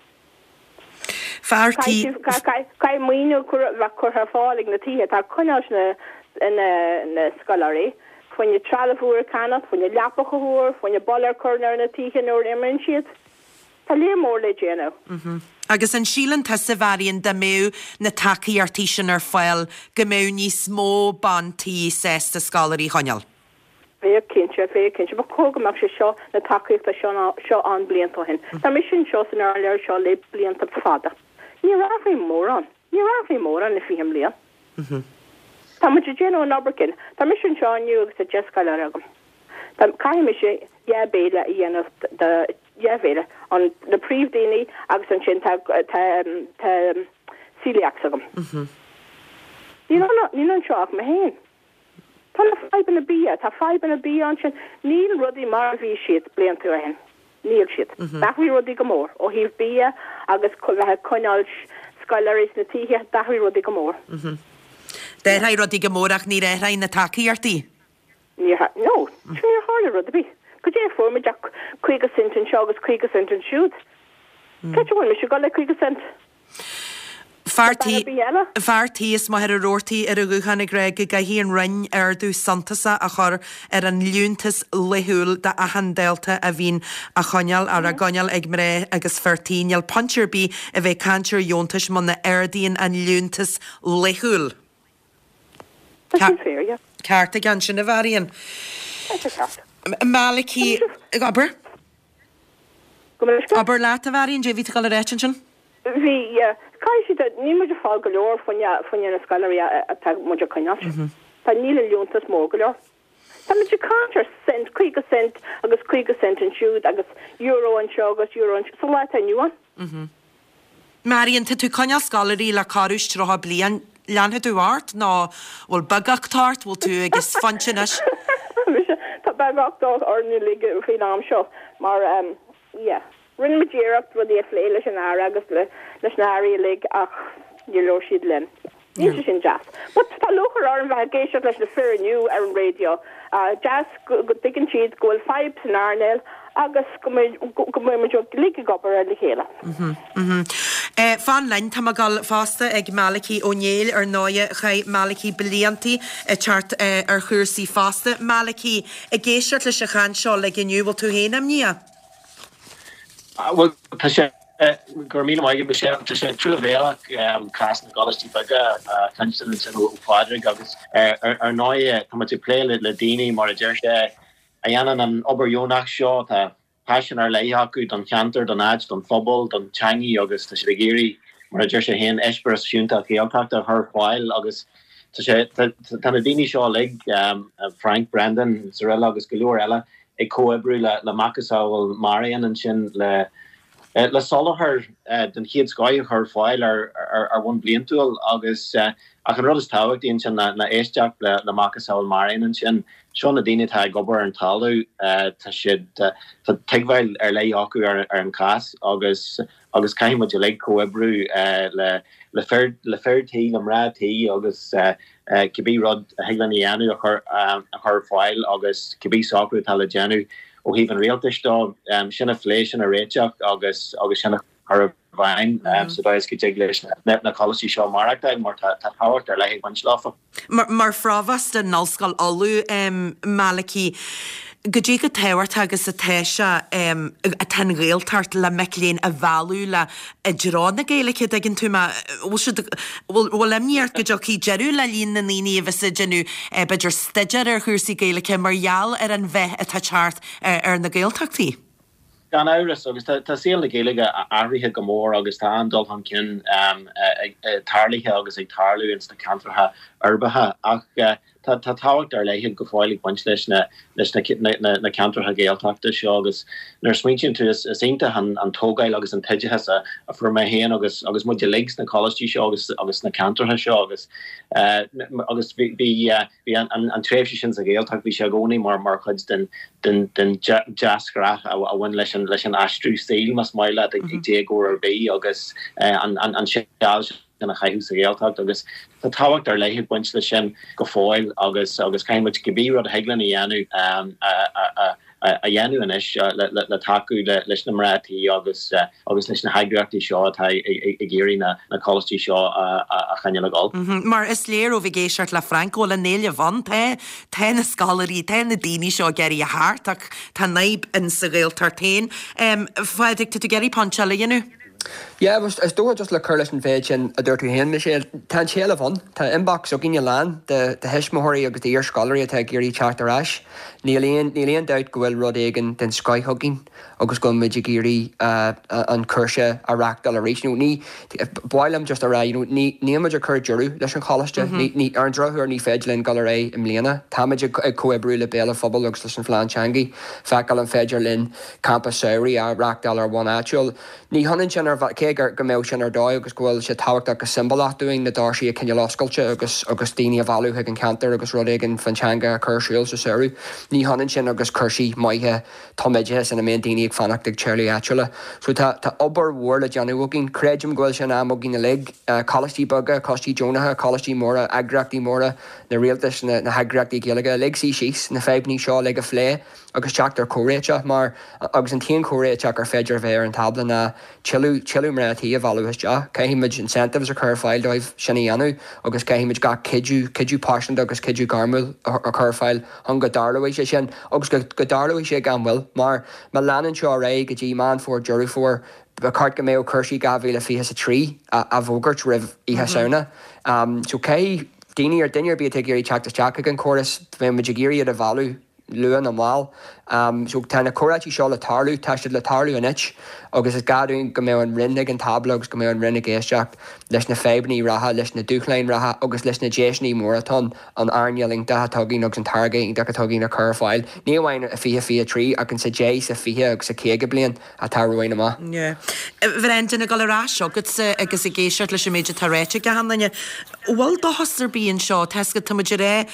Fear tí Caithfidh maoiniú bheith curtha ar fáil ag na tithe tá coinneáil na na na scoláirí, faoina trealamh úr a cheannach, faoina leapacha úr, faoina boladh a chur ar na tithe nuair a imíonn siad. Tá léar mór le déanamh. Agus an síleann tusa Mharion dá mbeadh na tacaíochtaí sin ar fáil go mbeadh níos mó ban tí sásta scoláirí a choinneáil. Bheadh cinnte, bheadh cinnte, ba chóir go mbeadh sé seo na tacaíochta seo seo an blianta ó shin. Tá mise anseo san earnáil seo le blianta fada. Ní raibh mórán, ní raibh mórán le fiche bliain. Tá muid ag déanamh an obair cinn. Tá mise anseo inniu agus tá deich scoláire agam. Tá caithfidh mise dhá béile a dhéanamh de dhá bhéile an na príomhdaoine agus ansin tá tá tá celiacs agam. Níl níl anseo ach mé féin. Tá na fadhbanna bia, tá fadhbanna bia ansin, níl rudaí mar a bhí siad blianta ó shin. Níl siad. D'athraigh rudaí go mór ó thaobh bia agus bheith coinneáil scoláirí sna tithe d'athraigh rudaí go mór. D'athraigh rudaí go mór ach níor athraigh na tacaíochtaí. Níor no, níor tharla rud ar bith. Go dté fuair muid ach caoga cent anseo agus caoga cent ansiúd. Cé bhfuil mise go le caoga cent. Fear tí Bean ar bith eile? Fear tí is Machaire Rabhartaigh ar an ghuthán ag rá go gcaithfidh an Roinn ardú suntasach a chur ar an liúntas laethúil d'achan dalta a bhíonn á choinneáil ar a gcoinneáil ag mná agus fir tí. Níl point ar bith a bheith caint ar dheontais muna ardaíonn an liúntas laethúil. Tá sin fíor, yeah. Ceart aige ansin a Mharion. Tá sé ceart. Malachy abair? Go mbeidh Abair leat a Mharion, dé bhí tú ag dul a ráit ansin? Bhí caithfidh siad níl muid ag fáil go leor faoina faoina na scoláirí atá muid ag coinneáil. Tá níl an liúntas mór go leor. Tá muid ag caint ar cent, caoga cent agus caoga cent ansiúd agus euro anseo agus euro anseo sa lá atá inniu ann. Marion, tá tú ag coinneáil scoláirí le corradh is tríocha bliain leanfaidh tú ort nó bhfuil beagacht ort, bhfuil tú ag is phointe anois? Tá beagacht orainn uilig faoin am seo mar um, yeah. Rinne muid iarracht rudaí a phlé leis an aire agus le leis na hairí uilig ach níor labhair siad linn. Níl sé sin deas. But tá lúcháir orm bheith ag éisteacht leis na fir inniu ar an raidió. Uh, deas go go dtuigeann siad go bhfuil fadhb san earnáil agus go mbeidh go mbeidh muid uilig ag obair ar le chéile. Fan linn, tá mé ag dul fosta ag Malachy Ó Néill, ar ndóighe, chaith Malachy bliantaí ag teacht ar chúrsaí fosta. Malachy, ag éisteacht leis an chaint seo uilig inniu, bhfuil tú féin imníoch? Bhuel, tá sé, go raibh míle maith agat, Michelle, tá sé truamhéalach cás na gcoláistí beaga a chluinstin ansin ó Phádraig agus ar ndóigh tá muid ag plé le daoine, mar a deir sé, a dhéanann an obair dheonach seo, tá paisean ar leith acu don cheantar, don áit, don phobal, don teangaidh agus tá siad ag iarraidh, mar a deir sé féin, eispéireas fiúntach Gaeltachta a chur ar fáil agus tá sé, tá na daoine seo uilig, Frank, Brendan, Cyrilla agus go leor eile ag comhoibriú le le macasamhail Marian ansin le le soláthar den chéad scoith a chur ar fáil ar ar bhonn bliantúil agus ach an rud is tábhachtaí ansin ná ná éisteacht le le macasamhail Marian ansin. Seo na daoine atá ag obair ar an talamh, tá siad, tá tuigbheáil ar leith acu ar an chás agus agus caithfidh muid uilig comhoibriú le le fir le fir tí, le mná tí agus cibé rud a thig linn a dhéanamh a chur a chur ar fáil agus cibé socrú atá le déanamh ó thaobh an rialtais de, sin a phlé, sin a réiteach agus agus sin a chur i bhfeidhm sa dóigh is go dtig leis na coláistí seo maireachtáil mar tá tábhacht ar leith ag baint leofa. Mar phrovóst in Ollscoil Uladh, Malachy, goidé chomh tábhachtach agus atá sé, atá an Ghaeltacht le mic léinn a mhealladh le i dtreo na Gaeilge, dtuigeann tú mé, bhfuil siad, bhfuil, bhfuil imní ort go dtiocfaidh deireadh le líon na ndaoine a bheas ag déanamh b'fhéidir staidéar ar chúrsaí Gaeilge mar gheall ar an mheath atá ag teacht ar na Gaeltachtaí? Gan amhras, agus tá saol na Gaeilge athraithe go mór agus tá an-dul chun cinn tarlaithe agus ag tarlú ins na ceantracha uirbeacha ach tá tábhacht ar leith go fóill ag baint leis na na ceantracha Gaeltachta seo agus nuair a smaointíonn tú is iontach an tógáil agus an t-oideachas a fuair mé féin agus agus muid uilig sna coláistí seo agus agus sna ceantracha seo agus agus bhí Bhí an tréimhse sin sa Ghaeltacht, bhí sé i gcónaí mar mar chuid den den den deasghnáth a bhain leis an leis an aistriú saoil, más maith leat, ag déagóir ar bith agus an an seal sin a chaitheamh sa Ghaeltacht agus tá tábhacht ar leith ag baint leis sin go fóill agus agus caithfidh muid cibé rud a thig linn a dhéanamh a a a dhéanamh anois le tacú leis na mná tí agus agus leis na heagraíochtaí seo atá ag iarraidh na coláistí seo a choinneáil ag dul. Mar is léir ó bheith ag éisteacht le Frank go bhfuil an éileamh ann. Tá tá na scoláirí, tá na daoine seo ag iarraidh a theacht ach tá an fhadhb in sa Ghaeltacht féin. A Phádraig, tá tú ag iarraidh pointe eile a dhéanamh? Yeah, is dócha just le cur leis an mhéid sin a dúirt tú féin, Michelle, tá an t-éileamh ann. Tá inbox againne lán de thuismitheoirí agus d'iarscoláirí atá ag iarraidh teacht ar ais. Níl aon, níl aon dabht go bhfuil rud éigin den scoith againn agus go bhfuil muid ag iarraidh an cúrsa a reáchtáil arís. You know, ní, ba mhaith liom just a rá, you know, ní, níl muid ag cur deireadh leis an choláiste. Ní, ní, ar an drochuair ní féidir linn dul ar aghaidh i mbliana. Táimid ag, ag comhoibriú le Béal an Phobail agus leis an Phlean Teanga, feiceáil an féidir linn campa samhraidh a reáchtáil ar bhonn áitiúil. Ní hionann sin ar cé go mbeadh sin ar dóigh agus go bhfuil sé tábhachtach go siombalach dúinn na doirsí a choinneáil oscailte agus agus daoine a mhealladh chuig an cheantar agus rud éigin faoin teanga a chur ar siúl sa samhradh. Ní hionann sin agus cúrsaí maithe tumoideachais ina mbíonn daoine ag fanacht ag teaghlaigh áitiúla. So tá tá obair mhór le déanamh againn. Creidim go bhfuil sé in am againn uilig, coláistí beaga, coistí deonacha, coláistí móra, eagraíochtaí móra, na rialtais, na na heagraíochtaí Gaeilge uilig suí síos, na fadhbanna seo uilig a phlé agus teacht ar chomhréiteach mar agus an t-aon chomhréiteach ar féidir a bheith ar an tábla ná tuilleadh tuilleadh mná tí a mhealladh isteach. Caithfidh muid incentives a chur ar fáil dóibh sin a dhéanamh agus caithfidh muid gach cuidiú, cuidiú pearsanta agus cuidiú gairmiúil a chur ar fáil chun go dtarlóidh sé sin agus go go dtarlóidh sé gan mhoill mar má leanann seo ar aghaidh go dtí Meán Fómhair, Deireadh Fómhair, ba cheart go mbeadh cúrsaí dhá mhíle fiche a trí á bhfógairt roimh Oíche Samhna. So caithfidh daoine ar duine ar bith atá ag iarraidh teacht isteach chuig an chóras, bheadh muid ag iarraidh iad a mhealladh luath nó mall. So tá na comhráití seo le tarlú, tá siad le tarlú anois agus is gá dúinn go mbeadh an Roinn ag an tábla agus go mbeadh an Roinn ag éisteacht leis na fadhbanna reatha, leis na dúshláin reatha agus leis na deiseanna móra atá ann an earnáil iontach atá againn agus an táirge iontach atá againn a chur ar fáil, ní amháin i fiche fiche trí ach in sa deich, sa fiche agus sa caoga bliain atá romhainn amach. Yeah. Bhrendan, ag dul ar ais chugatsa agus ag éisteacht leis an méid atá ráite ag achan duine, bhfuil dóchas ar bith anseo? Tá 'fhios agat, tá muid ag rá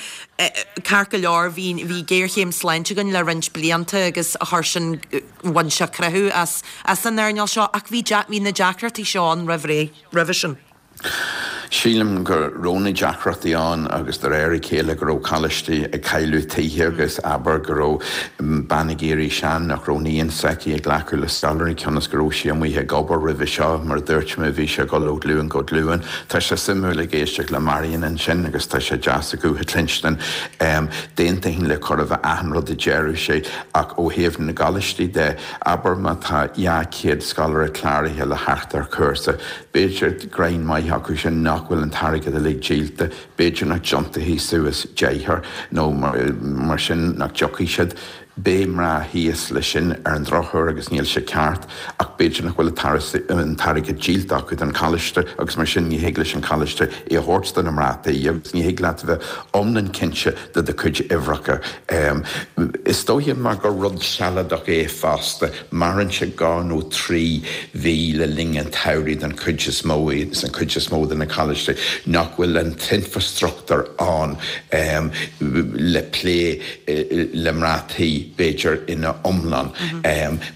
ceart go leor, bhí bhí géarchéim sláinte againn le roinnt blianta agus chuir sin, bhain sé croitheadh as as an earnáil seo ach bhí bhí na deacrachtaí seo ann roimh ré, roimhe sin. Sílim go raibh na deacrachtaí ann agus de réir a chéile go raibh coláistí ag cailleadh tithe agus abair go raibh bean ag éirí sean nach raibh níon s'aici ag glacadh le scoláirí cionn is go raibh sí amuigh ag obair roimhe seo mar a dúirt mé bhí sé ag dul ó ghlúin go glúin. Tá sé suimiúil ag éisteacht le Marion ansin agus tá sé deas a guth a chluinstin. D'aontóinn le chóir a bheith achan rud a deireadh sé ach ó thaobh na gcoláistí de, abair má tá dhá chéad scoláire cláraithe le theacht ar chúrsa, b'fhéidir greim maith acu sin nach bhfuil an t-airgead uilig díolta, b'fhéidir nach dtiontóidh suas deichniúr nó mar sin nach dtiocfaidh siad. Beidh mná thíos leis sin ar an drochuair agus níl sé ceart ach b'fhéidir nach bhfuil an t-airgead díolta acu don choláiste agus mar sin ní thig leis an choláiste é a thabhairt do na mná tí agus ní thig leat a bheith iomlán cinnte de do chuid uimhreacha. Is dóiche mar gur rud sealadach é fosta, maireann sé dhá nó trí mhí le linn an tsamhraidh den chuid is mó, san chuid is mó de na coláistí, nach bhfuil an t-infreastruchtúr ann le plé le mná tí, b'fhéidir, ina iomlán.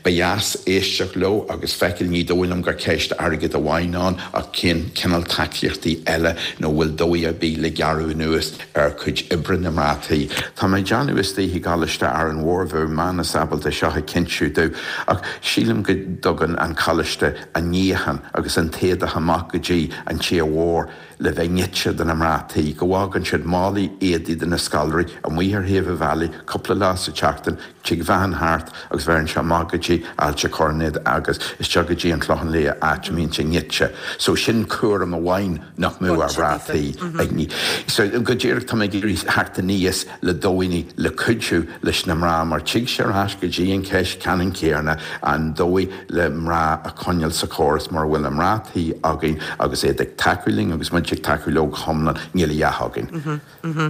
Ba dheas éisteacht leo agus feiceáil, ní dóigh liom gur ceist airgid amháin ann ach cén cineál tacaíochtaí eile nó bhfuil dóigh ar bith le gearradh anuas ar chuid oibre na mná tí. Tá mé ag déanamh istigh i gColáiste Árainn Mhór, bheadh Manus ábalta seo a chinntiú domh, ach sílim go dtugann an coláiste an níochán agus an t-éadach amach go dtí an tír mhór le bheith nite do na mná tí, go bhfágann siad málaí éadaí do na scoláirí amuigh ar thaobh an bhealaigh cúpla lá sa tseachtain, tig veain thart agus bheireann sé amach go dtí Ailt a' Choirnéid agus isteach go dtí an Clochán Liath áit a mbíonn sé nite. So sin cúram amháin nach mbeadh ar mhná tí ag ní. So go díreach tá mé ag iarraidh theacht aníos le dóigheanna le cuidiú leis na mná mar tig sé ar ais go dtí an cheist ceannann céanna, an dóigh le mná a choinneáil sa chóras mura bhfuil na mná tí againn agus iad ag tacú linn agus muid ag tacú leo go hiomlán, níl a dhath againn.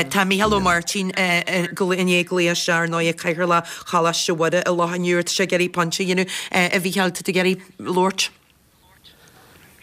Tá Mícheál Ó Máirtín i ndiaidh glaoch isteach ar ndóigh, Cathaoirleach Choláiste Mhuire i Loch an Iúir. Tá sé ag iarraidh pointe a dhéanamh. A Mhícheáil, tá tú ag iarraidh labhairt?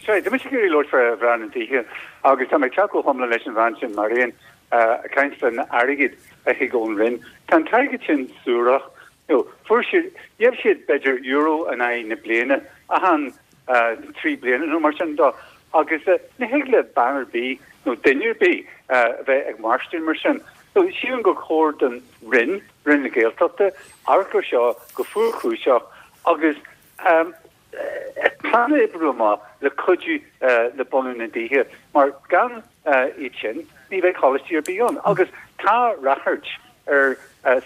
Sea, tá mise ag iarraidh labhairt fé mhná na dtithe agus tá mé ag teacht go hiomlán leis an bhean sin, Marion, ag caint fán airgead a thig ón Roinn. Tá an t-airgead sin suarach. You know, fuair siad, gheibh siad b'fhéidir euro in aghaidh na bliana, achan trí bliana nó mar sin dó. Agus ní thig le bean ar bith nó duine ar bith a bheith ag mairstin mar sin. So sílim gur chóir don Roinn, Roinn na Gaeltachta, amharc ar seo go fuarchúiseach agus plean a oibriú amach le cuidiú le bunú na dtithe mar gan iad sin ní bheidh coláistí ar bith ann. Agus tá ráchairt ar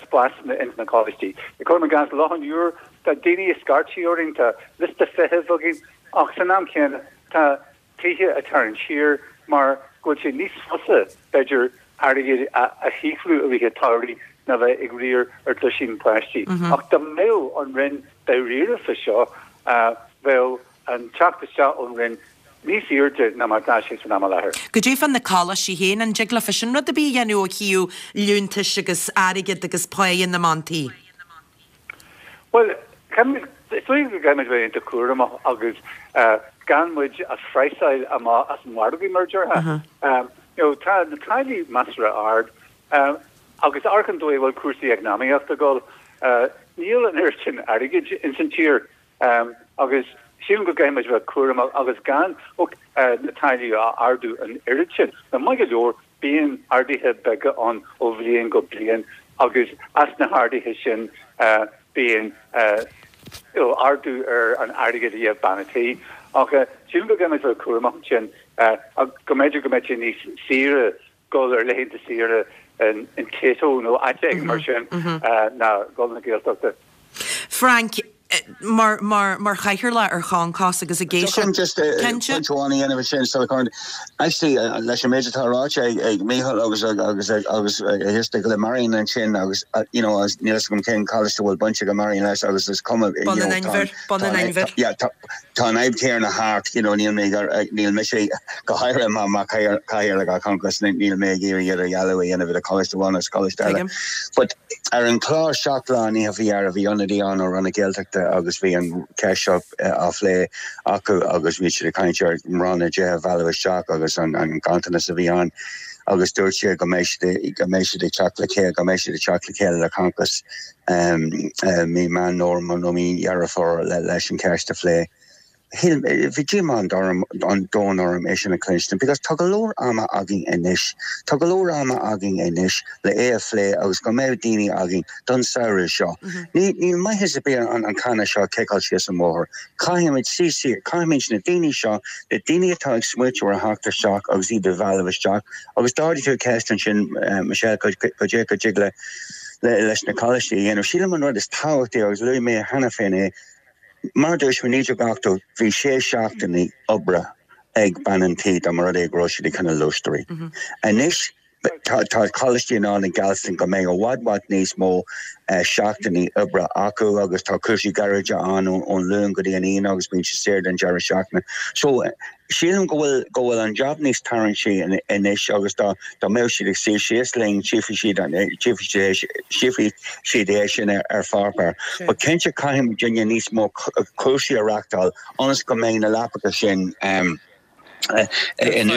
spásanna ins na coláistí. Cuirim i gcás Loch an Iúir, tá daoine ag scairtigh orainn, tá liosta feithimh againn ach san am céanna tá tithe ag tarraingt siar mar go bhfuil sé níos fusa, b'fhéidir, airgead a shaothrú i rith an tsamhraidh ná bheith ag riar ar duisín páistí. Ach dá mbeadh an Roinn dáiríre fá seo, bheadh an teacht isteach ón Roinn níos airde ná mar atá sé san am i láthair. Goidé fá na coláistí féin, an dtig leofa sin rud ar bith a dhéanamh ó thaobh liúntais agus airgead agus páighe na mban tí? Bhuel, caithfimid, is dóigh go gcaithfimid bheith iontach cúramach agus gan muid a phraghsáil amach as an mhargadh, mar a déarfá. You know, tá na táillí measartha ard agus amharc an dóigh a bhfuil cúrsaí eacnamaíochta ag dul, níl an oiread sin airgid ins an tír agus sílim go gcaithfimid bheith cúramach agus gan na táillí a ardú an oiread sin. Now, maith go leor, Bíonn arduithe beaga ann ó bhliain go bliain agus as na harduithe sin bíonn ardú ar an airgead a gheibh bean a' tí. Ach sílim go gcaithfimid bheith cúramach ansin go mb'fhéidir go mbeadh sé níos saoire dul ar laethanta saoire in Tayto nó áit éigin mar sin ná dul na Gaeltachta. Frank, mar, mar, mar chathaoirleach ar Choncos agus ag éisteacht. Just pointe amháin a dhéanamh ansin sula gcuireann. Actually, leis an méid atá ráite ag, ag Mícheál agus, agus, agus ag éisteacht le Marion ansin agus, you know, níl a fhios agam cén coláiste a bhfuil baint ag Marion leis agus is cuma, you Bun know, an Inbhir, Bun an Inbhir. Yeah, tá, tá an fhadhb chéanna thart, you know, níl mé ag, níl mise go háirithe mar, mar chathaoirleach ar Concos, níl mé ag iarraidh idirdhealú a dhéanamh idir coláiste amháin agus coláiste eile. Tuigim. But ar an chlár Seacht Lá an oíche faoi dheireadh bhí ionadaí ann ó Roinn na Gaeltachta agus bhí an cheist seo á phlé acu agus bhí siad ag caint ar mná na dtithe a mhealladh isteach agus an ganntanas a bhí ann agus dúirt siad go mbeidh siad go mbeidh siad ag teacht le chéile go mbeidh siad ag teacht le chéile le Concos mí Meán Fómhair nó mí Dheireadh Fómhair leis an cheist a phlé. Shíl, bhí díomá an domhain orm é sin a chluinstin because tá go leor ama againn anois, tá go leor ama againn anois le é a phlé agus go mbeidh daoine againn don samhradh seo. Ní, níl maitheas ar bith an, an canna seo a chiceáil síos an bóthar. Caithfimid suí siar, caithfimid na daoine seo, na daoine atá ag smaoitiú ar theacht isteach agus iad a mhealladh isteach agus d'ardaigh tú ceist ansin, Michelle, cad é go dtig le, le, leis na coláistí a dhéanamh. Sílim an rud is tábhachtaí agus luaigh mé cheana féin é, Mar a dúirt mé, naoi déag ochtó, bhí sé seachtainí oibre ag bean an tí dá mba rud é go raibh siad ag coinneáil lóistrí. Anois, tá coláistí in ann a gheallstan go mbeidh i bhfad bhfad níos mó seachtainí oibre acu agus tá cúrsaí gairide ann ón Luan go dtí an Aoine agus bíonn siad saor don deireadh seachtaine. So, Sílim go bhfuil go bhfuil an jab níos tarraingtí anois agus dá dá mbeadh siad ag suí síos linn tchífidh siad an tchífidh tchífidh siad é sin ar ar pháipéar. But cinnte caithfidh muidinne níos mó cúrsaí a reachtáil ionas go mbeidh na leapacha sin in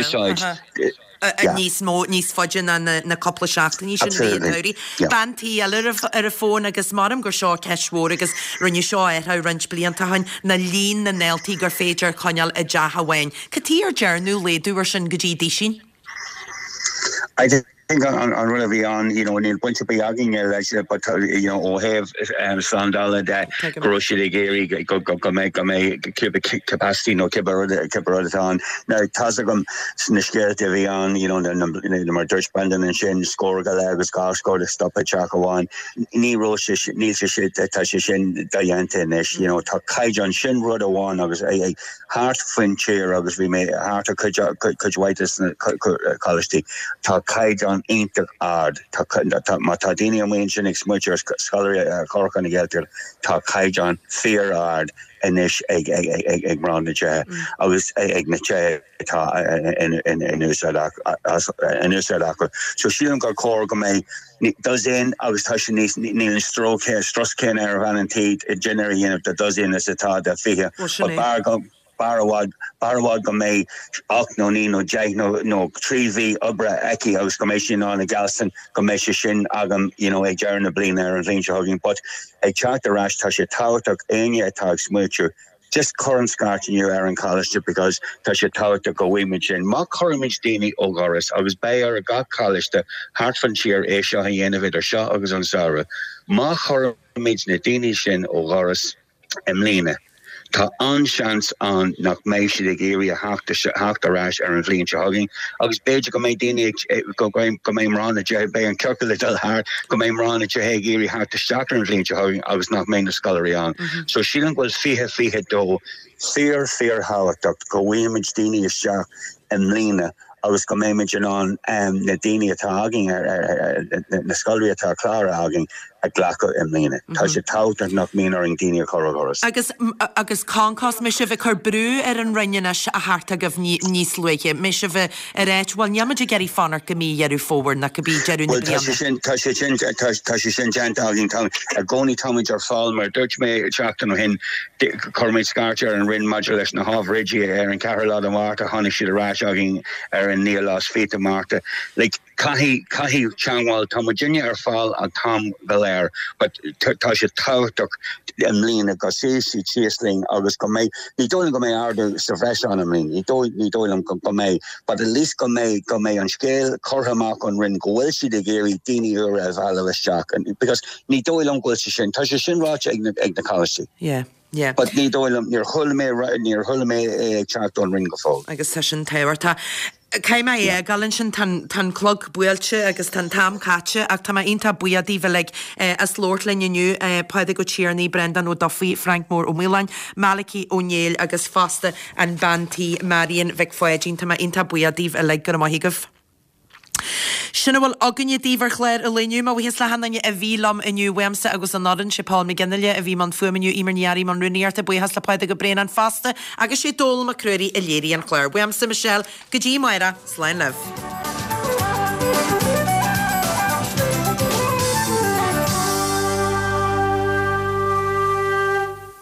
úsáid. níos mó, níos faide ná na cúpla seachtainí sin i rith an tsamhraidh. Bean tí eile ar an bhfón agus maram gur seo ceist mhór agus rinneadh seo a athrú roinnt blianta ó shin, ná líon na ndaltaí gur féidir coinneáil i dteach amháin. Cad chuige ar dearnadh laghdú ar sin go dtí duisín? I think an rud a bhí ann, you know, níl baint ar bith againne leis but you know, ó thaobh slándála de go raibh siad ag iarraidh go go mbeidh go mbeidh cibé capacity nó cibé rud cibé rud atá ann. Now tá's agam sna scéalta a bhí ann, you know, mar dúirt Brendan ansin, scór go leith agus dhá scór ag stop i dteach amháin. Ní raibh sé níl sé sé tá sé sin dodhéanta anois, you know, tá caighdeán sin rud amháin agus é thart faoin tír agus bhí mé thart ar cuid cuid mhaith de na coláistí. Tá caighdeán iontach ard. Tá má tá daoine amuigh ansin ag smaoitiú ar scoláirí a chur chun na Gaeltachta, tá caighdeán fíor-ard anois ag ag ag ag mná na dtithe agus ag na tithe atá in in úsáid in úsáid acu. So sílim gur chóir go mbeidh dosaen agus tá sé níos níl an stró strus céanna ar bhean an tí dinnéar a dhéanamh do dosaen is atá do fiche. Sin é. B'fhearr go B'fhearr i bhfad, b'fhearr i bhfad go mbeidh ocht nó naoi nó deich nó nó trí mhí oibre aici agus go mbeidh sí in ann a gheallstan go mbeidh sé sin agam you know ag deireadh na bliana ar an bhliain seo chugainn but ag teacht ar ais tá sé tábhachtach éinne atá ag smaoitiú just cuir an scairt inniu ar an choláiste because tá sé tábhachtach go bhfaighimid sin. Má chuirimid daoine ó dhoras agus beidh ar gach coláiste thart fan tír é seo a dhéanamh idir seo agus an samhradh, má chuirimid na daoine sin ó dhoras i mbliana, Tá an-seans ann nach mbeidh siad ag iarraidh a theacht ar ais ar an bhliain seo chugainn agus b'fhéidir go mbeidh daoine ag, go mbeidh mná na dtithe, beidh an ciorcal ag dul thart, go mbeidh mná na dtithe ag iarraidh theacht isteach ar an bhliain seo chugainn agus nach mbeidh na scoláirí ann. So sílim go bhfuil fiche fiche dó fíor fíor-thábhachtach go bhfaighimid daoine isteach i mbliana agus go mbeimid in ann na daoine atá againn, na scoláirí atá cláraithe againn a ghlacadh i mbliana. Tá sé tábhachtach nach mbíonn orainn daoine a chur ó dhoras. Agus, agus concos, mbeidh sibh ag cur brú ar an Roinn anois a theacht chugaibh níos luaithe? Mbeidh sibh ag ráit, bhuel, níl muid ag iarraidh fanacht go mí Dheireadh Fómhair ná go mí deireadh na Bhuel, tá sé bliana. sin, tá sé sin, tá, tá sé sin déanta againn. Tá, i gcónaí táimid ar fáil, mar a dúirt mé seachtain ó shin, Chuir muid scairt ar an Roinn maidir leis na hábhair oidí ar an ceathrú lá de Mhárta, tháinig siad ar ais againn ar an naoú lá is fiche de Mhárta. Like, caithfidh, caithfidh teangmháil, tá muidinne ar fáil an t-am go léir but tá sé tábhachtach i mbliana go suífidh siad síos linn agus go mbeidh, ní dóigh liom go mbeidh ardú sa bhreis ann i mbliana, ní dóigh, ní dóigh liom go, go mbeidh but at least go mbeidh, go mbeidh an scéal curtha amach ón Roinn go bhfuil siad ag iarraidh daoine úra a mhealladh isteach because ní dóigh liom go bhfuil sé sin, tá sé sin ráite ag na, ag na coláistí. Yeah. Yeah. But ní dóigh liom, níor chuala mé, níor chuala mé é ag teacht ón Roinn go fóill. Agus tá sin tábhachtach. Caithfidh mé é a fhágáil ansin, tá an, tá an clog buailte agus tá an t-am caite ach tá mé iontach buíoch daoibh uilig as labhairt linn inniu, Pádraig Ó Tiarnaigh, Breandán Ó Dufaigh, Frank Mór Ó Maoláin, Malachy Ó Néill agus fosta an bean tí Marion Mhic Pháidín. Tá mé iontach buíoch daoibh uilig, go raibh maith agaibh. Sin a bhfuil againne daoibh ar chlár an lae inniu. Mo bhuíochas le hachan duine a bhí liom inniu uaimse agus an fhoireann, sé Paul McGinley a bhí i mbun fuaime inniu, Eimear Ní Fhearraigh i mbun rúnaíochta, buíochas le Pádraig Ó Braonáin fosta agus sé Dónal Mac Ruairí a léirigh an clár. Uaimse, Michelle, go dtí amárach, slán libh.